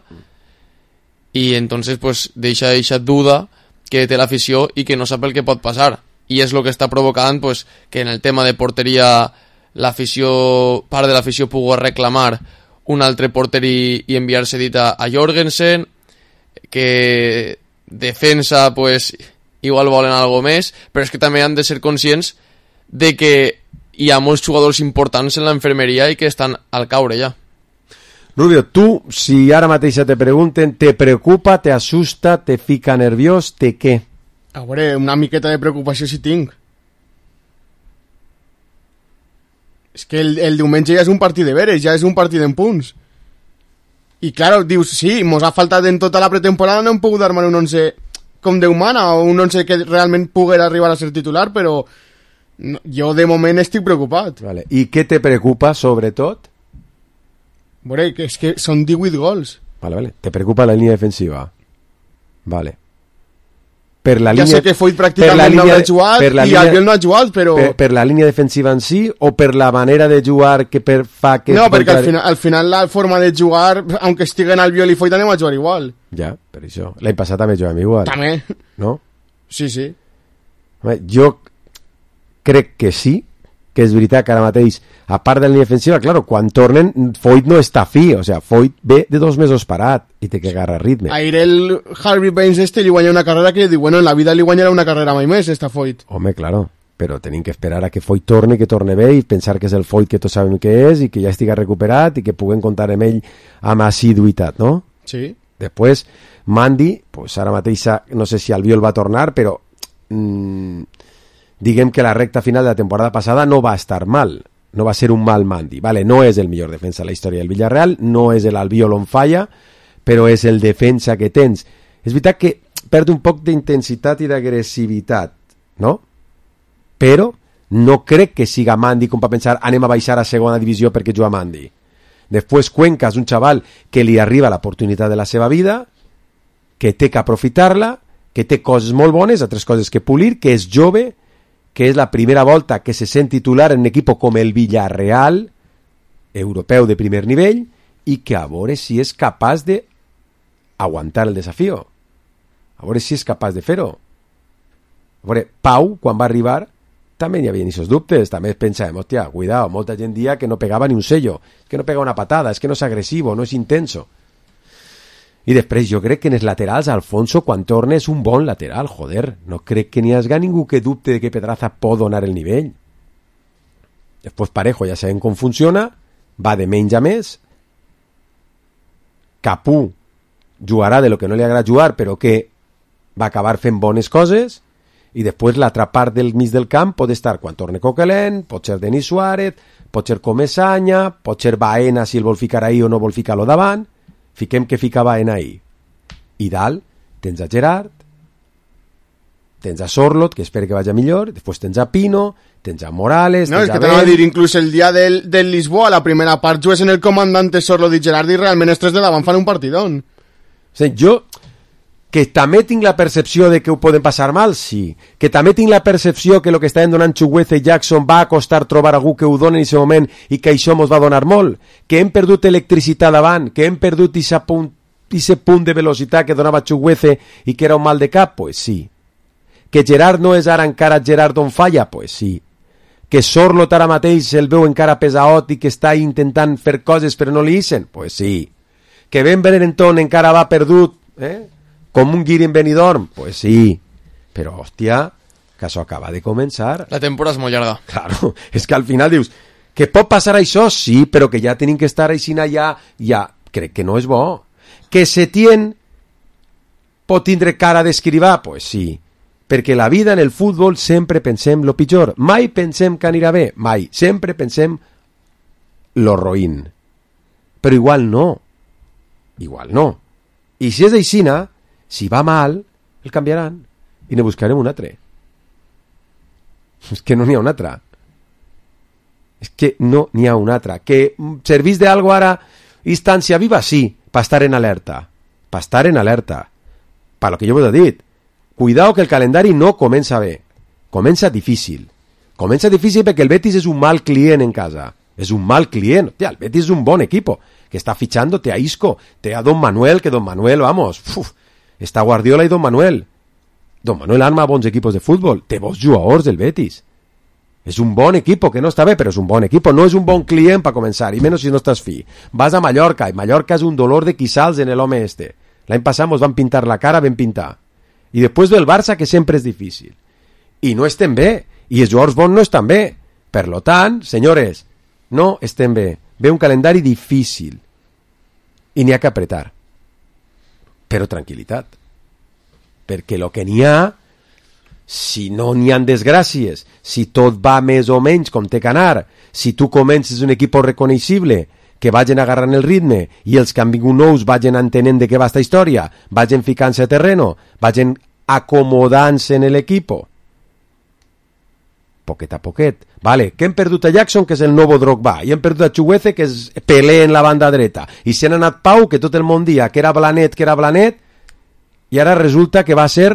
i entonces pues deixa duda que té l'afició i que no sap el que pot passar, i és el que està provocant pues, que en el tema de porteria l'afició, part de l'afició pugui reclamar un altre porter i enviar-se dit a Jorgensen, que defensa pues igual volen algo més, però és que també han de ser conscients de que hi ha molts jugadors importants en la infermeria i que estan al caure ja. Rubio, tu, si ara mateix te pregunten, te preocupa, te asusta, te fica nerviós, te què? A veure, una miqueta de preocupació si tinc. És que el diumenge ja és un partit de veres, ja és un partit en punts. I claro, dius, sí, mos ha faltat en tota la pretemporada, no hem pogut armar un 11 com Déu mana, o un 11 que realment poguera arribar a ser titular, però no, jo de moment estic preocupat. Vale. I què te preocupa, sobretot? Veure, que és que són 18 gols. Vale. Te preocupa la línia defensiva. Vale. Per la ja línia, sé que Foyt pràcticament no ha jugat i Albiol no ha jugat, però... Per la línia defensiva en si o per la manera de jugar que fa que... No, perquè al final la forma de jugar, aunque estiguen Albiol i Foyt, anem a jugar igual. Ja, per això. L'any passat també jugàvem igual. També. No? Sí. Jo crec que sí, que és veritat que ara mateix, a part de la línia defensiva, claro, quan tornen, Foyt no està fi, o sea, Foyt ve de 2 mesos parat i té que agarrar ritme. Aire el Harvey Baines li guanya una carrera que diu, bueno, en la vida li guanyarà una carrera mai més, esta Foyt. Home, claro, però tenim que esperar a que Foyt torne, que torne bé i pensar que és el Foyt que tots sabem que és i que ja estiga recuperat i que puguem comptar amb ell amb assiduïtat, no? Sí. Després, Mandy, pues ara mateix no sé si Albiol va tornar, però diguem que la recta final de la temporada passada no va estar mal, no va ser un mal Mandy, vale, no és el millor defensa de la història del Villarreal, no és l'Albiol on falla, però és el defensa que tens. És veritat que perd un poc d'intensitat i d'agressivitat, no? Però no crec que siga Mandy com per pensar anem a baixar a segona divisió perquè juga Mandy. Després Cuenca és un xaval que li arriba l'oportunitat de la seva vida, que té que aprofitar-la, que té coses molt bones, altres coses que polir, que és jove, que és la primera volta que se sent titular en un equip com el Villarreal, europeu de primer nivell, i que a veure si és capaç de aguantar el desafió. A veure si és capaç de fer-ho. A veure, Pau, quan va arribar, també hi havia aquests dubtes, també pensàvem, hòstia, cuidado, molta gent dia que no pegava ni un sello, que no pega una patada, és que no és agressivo, no és intenso. I després jo crec que en els laterals Alfonso quan torna és un bon lateral, joder, no crec que n'hi hagi ningú que dubte de que Pedraza pot donar el nivell. Després Parejo ja sabem com funciona, va de menys a més, Capú jugarà de lo que no li agrada jugar però que va acabar fent bones coses, i després l'altra part del mig del camp pot estar quan torne Coquelin, pot ser Denis Suárez, pot ser Comesaña, pot ser Baena si el vol ficar ahí o no vol ficar-lo davant. Fiquem que fica Baena ahí. I dalt tens a Gerard, tens a Sorloth, que espero que vagi millor, després tens a Pino, tens a Morales... No, és que t'anava a dir, inclús el dia del Lisboa, la primera part, jugues en el comandante Sorloth i Gerard i realment els tres de davant fan un partidón. Sí, jo, que també tinc la percepció de que ho poden passar mal, sí. Que també tinc la percepció que el que estaven donant Chukwueze i Jackson va a costar trobar algú que ho doni en aquest moment i que això mos va donar molt. Que hem perdut electricitat davant, que hem perdut aquest punt de velocitat que donava Chukwueze i que era un mal de cap, pues sí. Que Gerard no és ara encara Gerard on falla, pues sí. Que Sorloth ara mateix el veu encara pesaot i que està intentant fer coses però no li ixen, pues sí. Que Ben Berenton encara va perdut, com un guiri en Benidorm, pues sí. Però, hòstia, que això acaba de començar. La temporada és molt llarga. Claro, és que al final dius, que pot passar això, sí, però que ja tenim que estar així allà, ja, crec que no és bo. Que Setién pot tindre cara d'escrivar, pues sí. Perquè la vida en el futbol sempre pensem lo pitjor. Mai pensem que anirà bé, mai. Sempre pensem lo roïn. Però igual no. Igual no. I si és aixina, si va mal, el canviaran i ne buscarem un altre. És que no n'hi ha un altre. És que no n'hi ha un altre. Que servís d'algo ara instancia viva, sí, per estar en alerta. Per estar en alerta. Per lo que jo vos he dit. Cuidado que el calendari no comença bé. Comença difícil. Comença difícil perquè el Betis és un mal client en casa. És un mal client. Hòstia, el Betis és un bon equipo. Que està fichando, té a Isco, té a Don Manuel, que Don Manuel, vamos, està Guardiola i Don Manuel. Don Manuel arma bons equipos de futbol. Té bons jugadors del Betis. És un bon equipo, que no està bé, però és un bon equipo. No és un bon client per començar, i menys si no estàs fi. Vas a Mallorca, i Mallorca és un dolor de quissals en l'home este. L'any passat ens van pintar la cara ben pintar. I després del Barça, que sempre és difícil. I no estem bé, i els jugadors bons no estan bé. Per lo tant, senyores, no estem bé. Ve un calendari difícil. I n'hi ha que apretar. Però tranquil·litat. Perquè el que n'hi ha, si no n'hi ha desgràcies, si tot va més o menys com té que anar, si tu comences un equip reconeixible, que vagin agarrant el ritme i els que han vingut nous vagin entenent de què va esta història, vagin ficant-se a terreno, vagin acomodant-se en l'equipo. Poquet a poquet. Vale, que hem perdut a Jackson, que és el nou Drogba, i hem perdut a Chukwueze, que és Pelé en la banda dreta, i se n'ha anat Pau, que tot el món dia que era Blanet, i ara resulta que va ser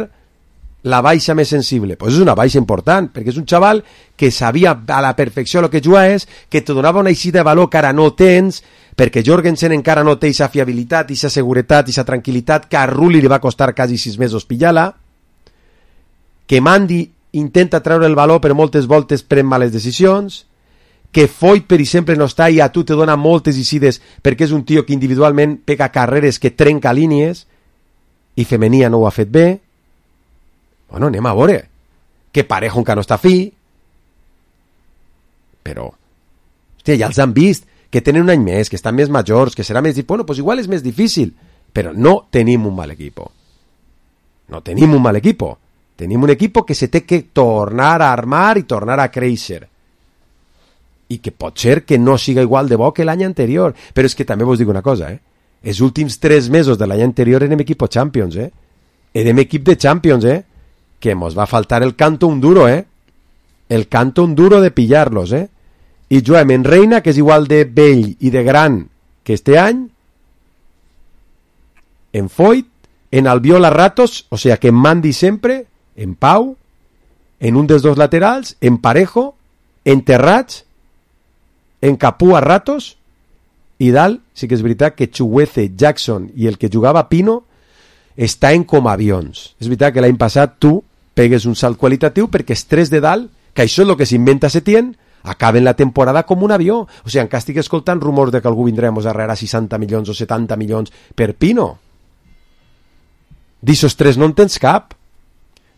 la baixa més sensible. Pues és una baixa important, perquè és un xaval que sabia a la perfecció el que juga és, que te donava una eixida de valor que ara no tens, perquè Jorgensen encara no té aquesta fiabilitat, aquesta seguretat, aquesta tranquil·litat, que a Rulli li va costar quasi 6 mesos pillar-la, que Mandi intenta treure el valor però moltes voltes pren males decisions, que Foyt per exemple no està i a tu te dona moltes eixides perquè és un tio que individualment pega carreres, que trenca línies, i Femenia no ho ha fet bé. Bueno, anem a veure. Que Parejo encara no està fi, però hòstia, ja els han vist que tenen un any més, que estan més majors, que serà més difícil. Bueno, pues igual és més difícil, però no tenim un mal equipo. No tenim un mal equipo. Tenim un equipo que se té que tornar a armar i tornar a créixer. I que pot ser que no siga igual de bo que l'any anterior. Però és que també vos dic una cosa, Els últims 3 mesos de l'any anterior érem equipo Champions, Érem equip de Champions, Que mos va faltar el canto un duro, El canto un duro de pillar-los, I juguem en Reina, que és igual de vell i de gran que este any, en Foyt, en Albiol a ratos, o sea que en Mandi sempre, en Pau, en un dels dos laterals, en Parejo, en Terrats, en Capú a ratos, i dalt sí que és veritat que Chukwueze, Jackson i el que jugava Pino estaven com avions. És veritat que l'any passat tu pegues un salt qualitatiu perquè els 3 de dalt, que això és el que s'inventa Setién, acaben la temporada com un avió. O sigui, encara estic escoltant rumors de que algú vindrà a arreglar 60 milions o 70 milions per Pino. D'ixos 3 no en tens cap.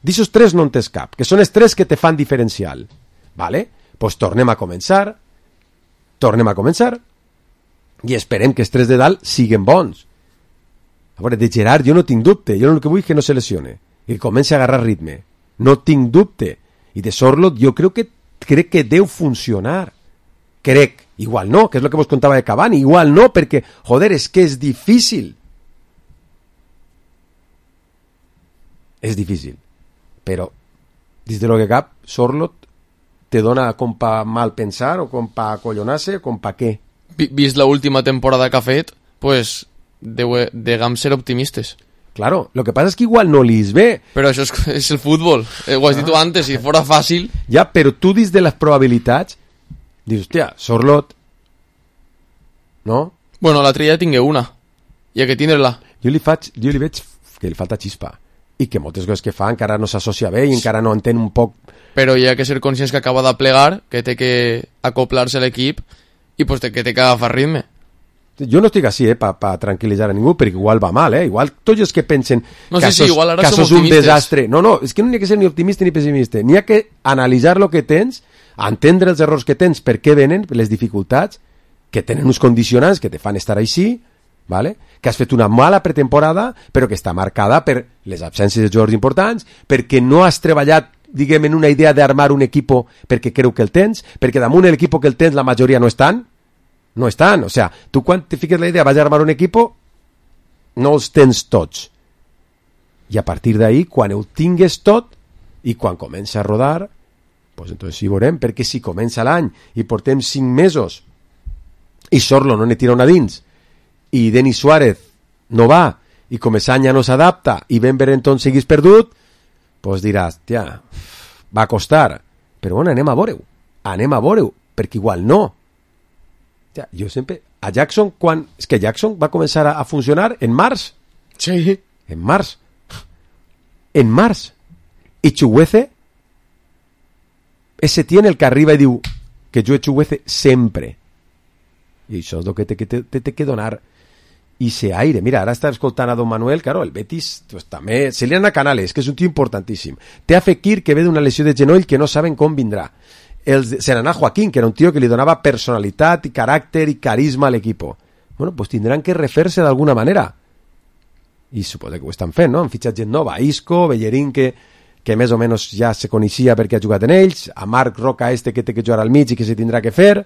D'ixos 3 no en tens cap, que són els 3 que te fan diferencial. Vale? Pues tornem a començar i esperem que els 3 de dalt siguen bons. A veure, de Gerard jo no tinc dubte, jo el que vull és que no se lesione i que comenci a agarrar ritme, no tinc dubte. I de Sorloth jo crec que deu funcionar, igual no, que és el que vos contava de Cavani, igual no, perquè, joder, és que és difícil, però dins de lo que cap, Sorloth te dona com pa mal pensar o com pa acollonarse o com pa què. Vist la última temporada que ha fet, pues degam ser optimistes. Claro, lo que pasa es que igual no li és bé. Però això és el futbol, ho has dit tu antes, si fora fàcil... Ja, però tu dins de les probabilitats dius, hòstia, Sorloth, no? Bueno, l'altre dia tingué una, i ha que tindre-la. Jo li veig que li falta xispa, i que moltes coses que fa encara no s'associa bé i encara no entén un poc... Però hi ha que ser conscients que acaba de plegar, que té que acoplar-se a l'equip, i pues que té que agafar ritme. Jo no estic així, pa tranquil·litzar a ningú, perquè igual va mal, igual tots els que pensen no, que sí, igual ara això és un desastre. No, és que no n'hi ha que ser ni optimista ni pessimista, n'hi ha que analitzar el que tens, entendre els errors que tens, per què venen, les dificultats, que tenen uns condicionants que te fan estar així, ¿vale? Que has fet una mala pretemporada, però que està marcada per les absències de jugadors importants, perquè no has treballat, diguem, en una idea d'armar un equip perquè creu que el tens, perquè damunt l'equip que el tens la majoria no estan, o sea, tu quan te fiques la idea vas a armar un equip no els tens tots, i a partir d'ahí quan ho tingues tot i quan comença a rodar, pues entonces sí veurem, perquè si comença l'any i portem 5 mesos i Sorloth no ne tira una dins i Denis Suárez no va i Comesaña no s'adapta i Ben Berenton seguís perdut, pues diràs, tia, va costar, però bueno, anem a veure-ho, perquè igual no. Ja, jo sempre... A Jackson, quan... És que Jackson va començar a funcionar en març. Sí. En març. I Chukwueze, ese tiene el que arriba i diu que jo he Chukwueze sempre. I això és el que té que donar ese aire. Mira, ara està escoltant a Don Manuel, claro, el Betis pues, també... Se li han a Canales, que és un tio importantíssim. Té a Fekir, que ve d'una lesió de genoll que no saben com vindrà. Se n'anà Joaquín, que era un tio que li donava personalitat i caràcter i carisma a l'equip. Bueno, pues tindran que refer-se d'alguna manera. I suposo que ho estan fent, no? Han fitxat gent nova. Isco, Bellerín, que més o menys ja se coneixia perquè ha jugat en ells. A Marc Roca, que té que jugar al mig i que se tindrà que fer.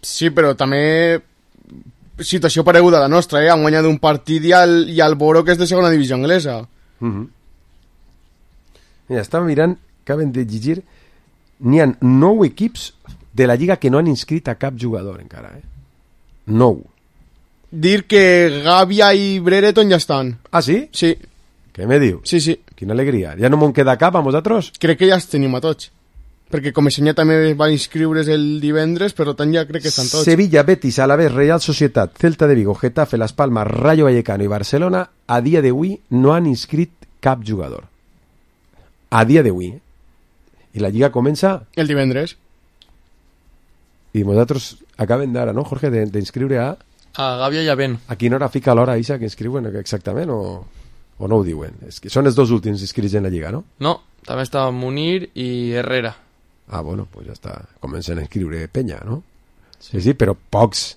Sí, però també situació pareguda a la nostra, Han guanyat un partit i al Boro, que és de segona divisió anglesa. Mira, estava mirant, acaben de llegir... N'hi ha 9 equips de la Lliga que no han inscrit a cap jugador encara, 9. Dir que Gavia i Brereton ja estan. Ah, sí? Sí. Què me diu? Sí. Quina alegria. Ja no me'n queda cap a vosaltres? Crec que ja els tenim a tots. Perquè Comesaña també va inscriure's el divendres, però tant ja crec que estan tots. Sevilla, Betis, Alavés, Real Societat, Celta de Vigo, Getafe, Las Palmas, Rayo Vallecano i Barcelona a dia d'avui no han inscrit cap jugador. A dia d'avui, I la Lliga comença... El divendres. I vosaltres acaben d'ara, no, Jorge, d'inscriure a... A Gàbia i a Ben. A quina hora fica l'hora, Isa, que inscriuen exactament, o no ho diuen? És que són els dos últims inscrits en la Lliga, no? No, també està Munir i Herrera. Ah, bueno, pues ja està. Comencen a inscriure penya, no? Sí, però pocs.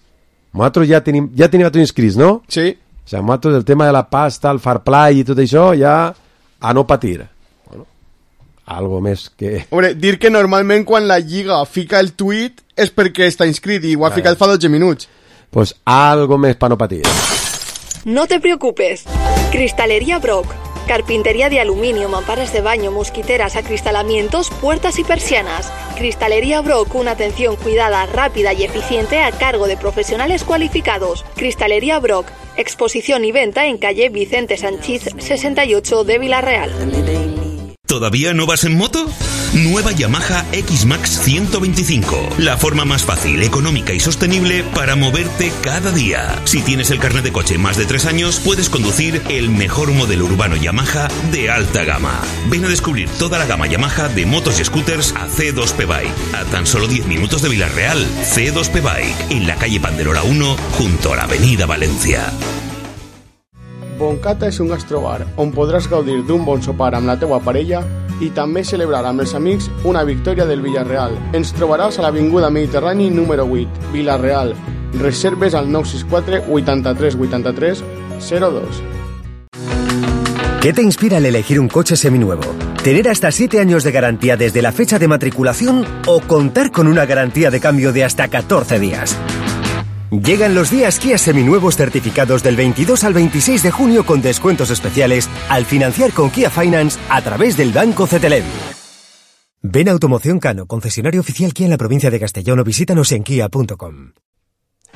Nosaltres ja tenim tots inscrits, no? Sí. O sigui, nosaltres el tema de la pasta, el fair play i tot això, ja a no patir. Bueno, algo més que... Hombre, dir que normalment quan la Lliga fica el tuit és perquè està inscrit i ho ha ficat fa 12 minuts. Pues algo més para no patir. No te preocupes. Cristalería Brock. Carpintería de aluminio, mamparas de baño, mosquiteras, acristalamientos, puertas y persianas. Cristalería Brock, una atención cuidada, rápida y eficiente a cargo de profesionales cualificados. Cristalería Brock. Exposición y venta en calle Vicente Sanchís 68 de Villarreal. ¿Todavía no vas en moto? Nueva Yamaha X-Max 125. La forma más fácil, económica y sostenible para moverte cada día. Si tienes el carnet de coche más de 3 años, puedes conducir el mejor modelo urbano Yamaha de alta gama. Ven a descubrir toda la gama Yamaha de motos y scooters a C2P Bike. A tan solo 10 minutos de Villarreal. C2P Bike, en la calle Panderora 1, junto a la avenida Valencia. Boncata és un gastrobar on podràs gaudir d'un bon sopar amb la teua parella i també celebrar amb els amics una victòria del Villarreal. Ens trobaràs a l'Avinguda Mediterrani número 8, Villarreal. Reserves al 964 83 83 02. ¿Qué te inspira al elegir un coche seminuevo? ¿Tener hasta 7 años de garantía desde la fecha de matriculación o contar con una garantía de cambio de hasta 14 días? Llegan los días Kia seminuevos certificados del 22 al 26 de junio con descuentos especiales al financiar con Kia Finance a través del Banco CTLM. Ven a Automoción Cano, concesionario oficial Kia en la provincia de Castellón, o visítanos en kia.com.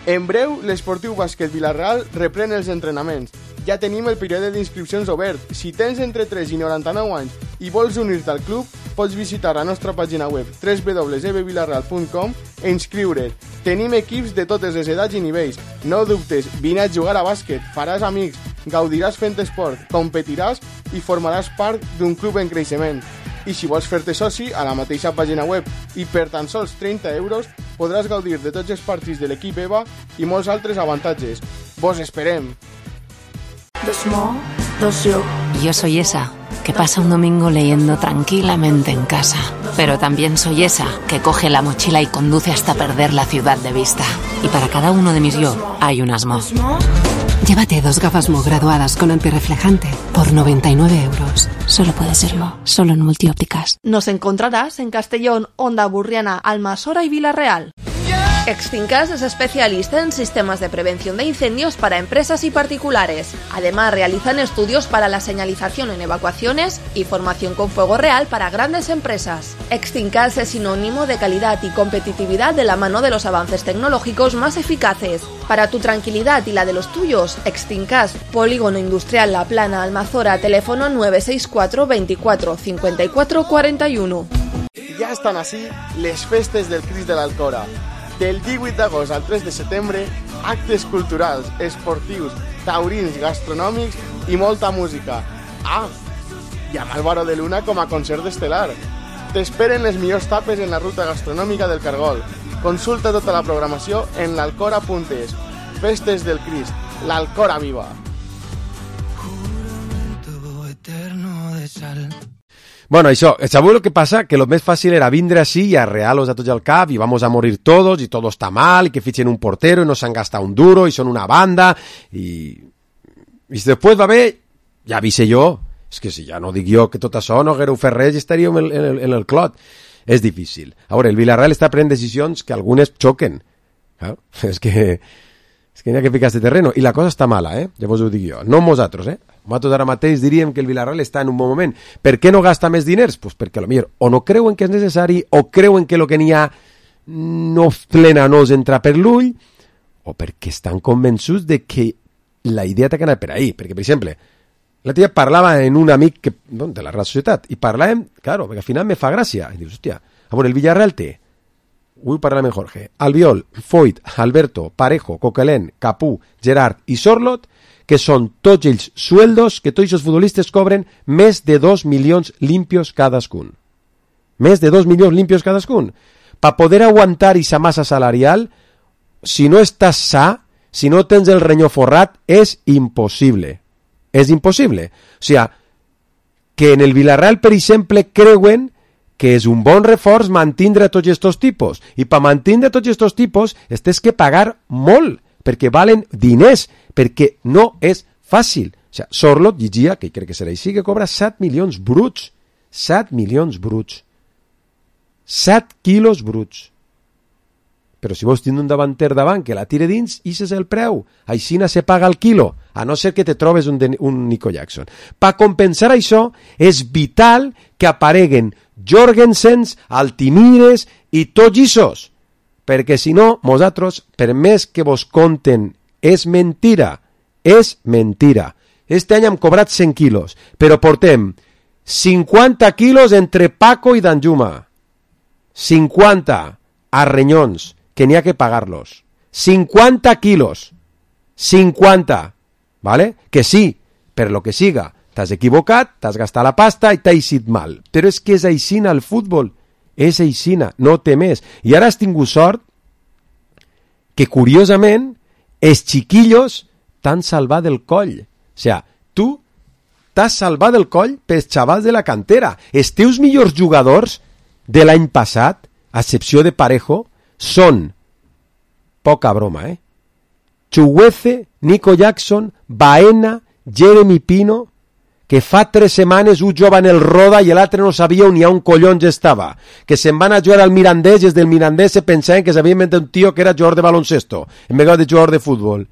En breu, l'Esportiu Bàsquet Vilareal reprèn els entrenaments. Ja tenim el període d'inscripcions obert. Si tens entre 3 i 99 anys i vols unir-te al club, pots visitar la nostra pàgina web www.ebvilareal.com e inscriure't. Tenim equips de totes les edats i nivells. No dubtes, vine a jugar a bàsquet, faràs amics, gaudiràs fent esport, competiràs i formaràs part d'un club en creixement. I si vols fer-te soci, a la mateixa pàgina web i per tan sols 30 euros podràs gaudir de tots els partits de l'equip EVA i molts altres avantatges. Vos esperem! Yo soy esa que pasa un domingo leyendo tranquilamente en casa, pero también soy esa que coge la mochila y conduce hasta perder la ciudad de vista. Y para cada uno de mis yo hay un Asmo. Llévate 2 gafas Mo graduadas con antirreflejante por 99 euros. Solo puede serlo, solo en Multiópticas. Nos encontrarás en Castellón, Onda Burriana, Almasora y Villarreal. Extincas es especialista en sistemas de prevención de incendios para empresas y particulares. Además, realizan estudios para la señalización en evacuaciones y formación con fuego real para grandes empresas. Extincas es sinónimo de calidad y competitividad de la mano de los avances tecnológicos más eficaces. Para tu tranquilidad y la de los tuyos, Extincas, Polígono Industrial La Plana, Almazora, teléfono 964 24 54 41. Ja estan així les festes del Crist de l'Alcora. Del 18 d'agost al 3 de setembre, actes culturals, esportius, taurins, gastronòmics i molta música. Ah, i amb Álvaro de Luna com a concert estel·lar. T'esperen les millors tapes en la ruta gastronòmica del Cargol. Consulta tota la programació en l'alcora.es. Festes del Crist, l'Alcora viva! Bueno, això, sabeu lo que passa? Que lo més fàcil era vindre així i arrear-los a tots al cap i vamos a morir todos y todo está mal y que fichen un portero y no s'han gastat un duro y són una banda y si després va bé, ja avise jo. És que si ja no dic jo que tot això no haguéreu fet res i estaríem en el clot. És difícil. A veure, el Villarreal està prenent decisions que algunes xoquen. És que n'hi ha que ficar-se terreno. I la cosa està mala, ja vos ho dic jo. No nosaltres, Nosaltres ara mateix diríem que el Villarreal està en un bon moment. Per què no gasta més diners? Pues perquè potser o no creuen que és necessari, o creuen que el que n'hi ha no plena no els entra per l'ull, o perquè estan convençuts de que la idea té que anar per ahí. Perquè, per exemple, la tia parlava en un amic de la Real Societat, i parlàvem, claro, perquè al final me fa gràcia. I dius, hòstia, a veure, el Villarreal té, vull parlar amb Jorge, Albiol, Foyt, Alberto, Parejo, Coquelin, Capú, Gerard i Sorlot, que són tots ells sueldos que tots els futbolistes cobren més de 2 milions limpios cadascun. Més de 2 milions limpios cadascun. Per poder aguantar aquesta massa salarial, si no estàs sa, si no tens el renyó forrat, és impossible. És impossible. O sigui, que en el Villarreal, per exemple, creuen que és un bon reforç mantindre tots aquests tipus. I per mantindre tots aquests tipus, tens que pagar molt, perquè valen diners, perquè no és fàcil. O sigui, Sorlot llegia, que crec que serà així, que cobra 7 milions bruts. 7 milions bruts. 7 quilos bruts. Però si vols tindre un davanter davant que la tire dins, i és el preu. Aixina se paga el quilo, a no ser que te trobes un Nico Jackson. Per compensar això, és vital que apareguen Jorgensens, Altimires i tots issos. Perquè si no, vosaltres, per més que vos conten, és mentira. És mentira. Este any hem cobrat 100 quilos, però portem 50 quilos entre Paco i Danjuma. 50 a renyons, que n'hi ha que pagar-los. 50 quilos. 50. ¿Vale? Que sí, per lo que siga, t'has equivocat, t'has gastat la pasta i t'ha eixit mal. Però és que és aixina el futbol. És aixina, no té més. I ara has tingut sort que, curiosament, els xiquillos t'han salvat del coll. O sigui, tu t'has salvat el coll pels xavals de la cantera. Els teus millors jugadors de l'any passat, a excepció de Parejo, són, poca broma, Chuguece, Nico Jackson, Baena, Jeremy Pino, que fa 3 setmanes un jove en el roda i l'altre no sabia on hi ha un collons estava, que se'n van a jugar al Mirandés i des del Mirandés se pensaven que s'havia inventat un tio que era jugador de baloncesto en vez de jugador de futbol.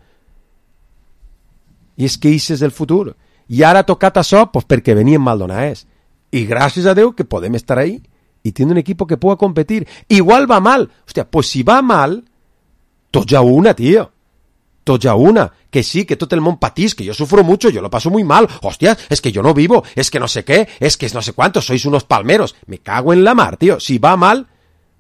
I és que això és el futur. I ara ha tocat això pues, perquè venien maldonades. I gràcies a Déu que podem estar ahí y tiene un equipo que pueda competir. Igual va mal. Hostia, pues si va mal, tots a una, tío. Tots a una. Que sí, que tot el món patís, que yo sufro mucho, yo lo paso muy mal. Hostia, es que yo no vivo, es que no sé qué, es que no sé cuántos, sois unos palmeros. Me cago en la mar, tío. Si va mal,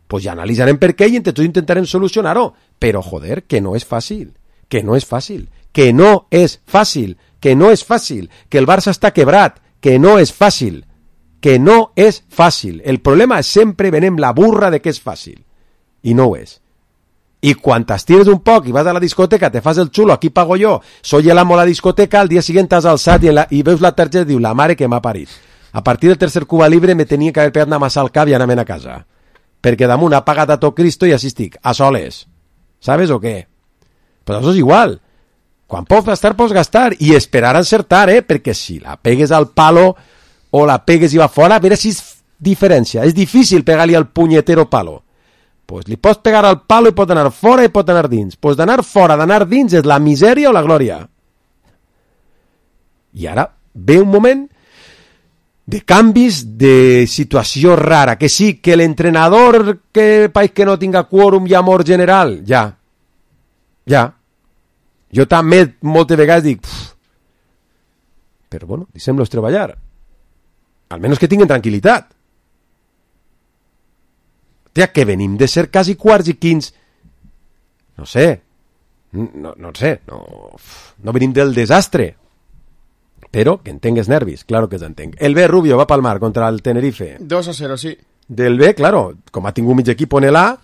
pues ya analizarem per què i entre tots intentarem solucionar-ho. Però, joder, que no és fàcil. Que no és fàcil. Que no és fàcil. Que no és fàcil. Que el Barça està quebrat. Que no és fàcil. Que no és fàcil. El problema és sempre venem la burra de que és fàcil. I no ho és. I quan t'estires un poc i vas a la discoteca, te fas el xulo, aquí pago jo, soy el amo a la discoteca, al dia siguiente t'has alçat i veus la targeta i diu, la mare que m'ha parit. A partir del tercer Cuba Libre me tenia que haver pegat una massa al cap i anar-me'n a casa. Perquè damunt ha pagat a tot Cristo i així estic, a soles. ¿Sabes o què? Pues això és igual. Quan pots gastar i esperar a encertar, perquè si la pegues al palo o la pegues i va fora, a veure si és diferència. És difícil pegar-li al punyetero palo. Pues li pots pegar al palo i pot anar fora i pot anar dins. Pues d'anar fora, d'anar dins és la misèria o la glòria. I ara ve un moment de canvis, de situació rara. Que sí, que l'entrenador que país que no tinga quòrum i amor general, ja. Jo també moltes vegades dic però bueno, deixem-los treballar. Almenys que tinguin tranquil·litat. Hòstia, que venim de ser quasi quarts i quints. No sé. No venim del desastre. Però que entengues nervis, claro que t'entenc. El B Rubio va palmar contra el Tenerife. 2-0, sí. Del B, claro, com ha tingut mig equip en l'A,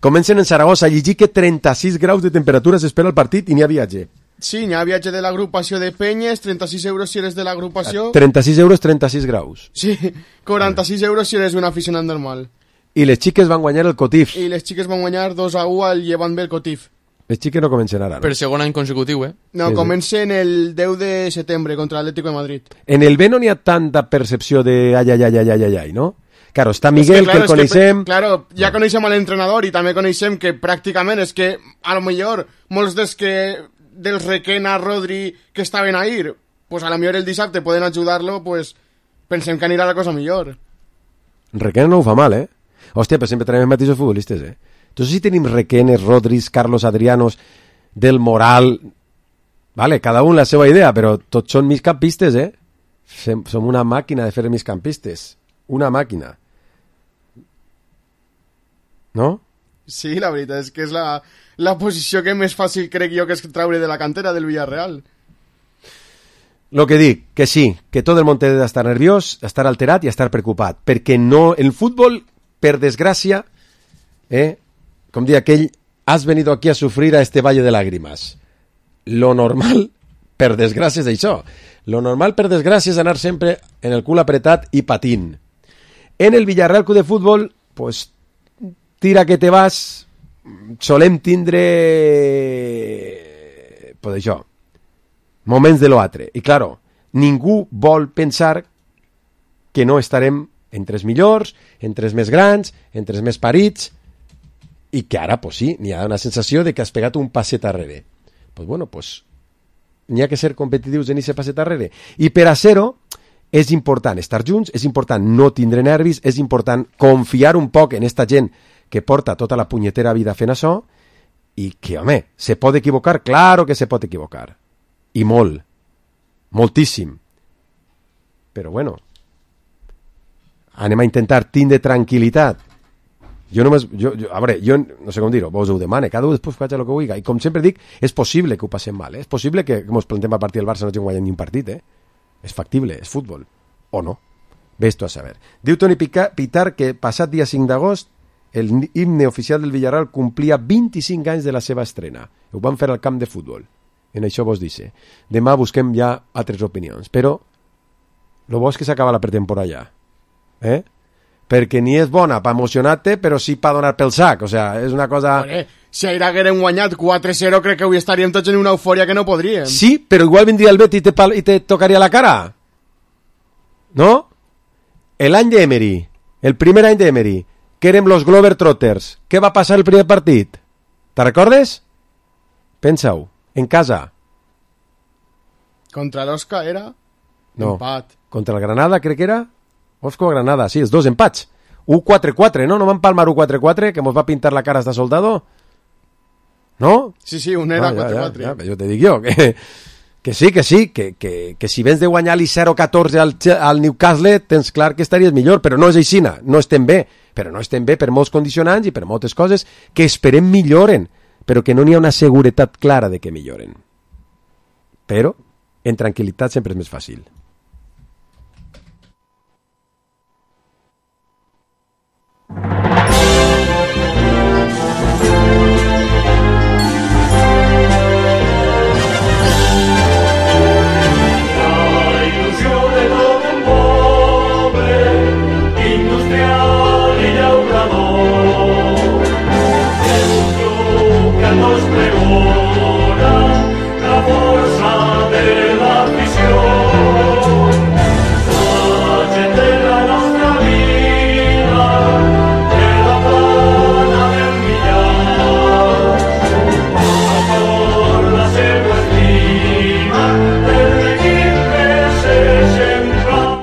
comencen en Saragossa a llegir que 36 graus de temperatura s'espera el partit i n'hi ha viatge. Sí, n'hi ha viatge de l'agrupació de Penyes, 36 euros si eres de l'agrupació... 36 euros, 36 graus. Sí, 46 euros si eres un aficionat normal. I les xiques van guanyar el Cotif. I les xiques van guanyar 2-1 al Llevant B el Cotif. Les xiques no comencen ara, no? Per segon any consecutiu, No, sí, comencen el 10 de setembre contra l'Atlético de Madrid. En el B no n'hi ha tanta percepció de ai, ¿no? Claro, está Miguel, que el coneixem... Claro, ja coneixem a l'entrenador i també coneixem que pràcticament és que a lo millor molts dels Requena, Rodri, que estaven ahir, pues a lo millor el dissabte poden ajudar-lo, pues pensem que anirà la cosa millor. Requena no ho fa mal, Hòstia, però sempre tenim els mateixos futbolistes, Entonces si tenim Requenes, Rodris, Carlos Adrianos, Del Moral... Vale, cada un la seva idea, però tots són migcampistes, Som una màquina de fer migcampistes. Una màquina. No? Sí, la veritat és que és la posició que més fàcil crec jo que és traure de la cantera del Villarreal. Lo que dic, que sí, que tot el món té d'estar nerviós, estar alterat i estar preocupat, perquè no, el futbol, per desgràcia, com diu aquell, has venido aquí a sufrir a este valle de lágrimas. Lo normal, per desgràcia, és això. Lo normal, per desgràcia, és anar sempre en el cul apretat i patint. En el Villarreal Club de Futbol, pues, tira que te vas, solem tindre pues això, moments de l'altre. I claro, ningú vol pensar que no estarem entre els millors, entre els més grans, entre els més parits, i que ara, pues sí, n'hi ha una sensació de que has pegat un passet arrere. Pues bueno, pues n'hi ha que ser competitius en aquest passet arrere. I per a ser-ho, és important estar junts, és important no tindre nervis, és important confiar un poc en esta gent que porta tota la punyetera vida fent això, i que, home, se pot equivocar? Claro que se pot equivocar. I molt. Moltíssim. Però bueno, anem a intentar tindre tranquil·litat. Jo no sé com dir-ho, vos ho demane, cada un després faig el que vulgui, i com sempre dic, és possible que ho passem mal, és possible que ens plantem a partir del Barça no hagin guanyat ni un partit, és factible, és futbol, o no, ves tu a saber. Diu Toni Pitar que passat dia 5 d'agost el himne oficial del Villarreal complia 25 anys de la seva estrena, ho van fer al camp de futbol, En això vos dice. Demà busquem ja altres opinions. Però lo bo és que s'acaba la pretemporada ja. Perquè ni és bona per emocionar-te, però sí per donar pel sac. O sea, és una cosa... Si ahir haguérem guanyat 4-0, crec que avui estaríem tots en una eufòria que no podríem. Sí, però igual vindria el Betis i te tocaria la cara. ¿No? L'any d'Emery, el primer any d'Emery, que érem los Globetrotters, què va passar el primer partit? Te recordes? Pensa-ho, en casa. Contra l'Osca era? No, empat. Contra el Granada, crec que era? Osco-Granada, sí, els dos empats. 1-4-4, ¿no? No van palmar 1-4-4, que mos va pintar la cara hasta soldado? ¿No? Sí, un era 4-4. Ja, jo te dic jo, que sí, que si vens de guanyar-li 0-14 al Newcastle, tens clar que estaries millor, però no és aixina, no estem bé, però no estem bé per molts condicionants i per moltes coses que esperem milloren, però que no n'hi ha una seguretat clara de que milloren. Però, en tranquil·litat sempre és més fàcil.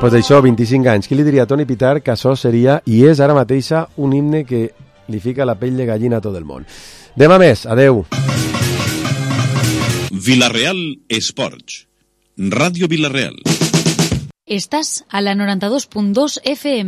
Pues d'això, 25 anys. Qui li diria a Toni Pitar que això seria, i és ara mateixa, un himne que li fica la pell de gallina a tot el món. Demà més, adeu. Vilareal Esports. Ràdio Vilareal. Estàs a la 92.2 FM.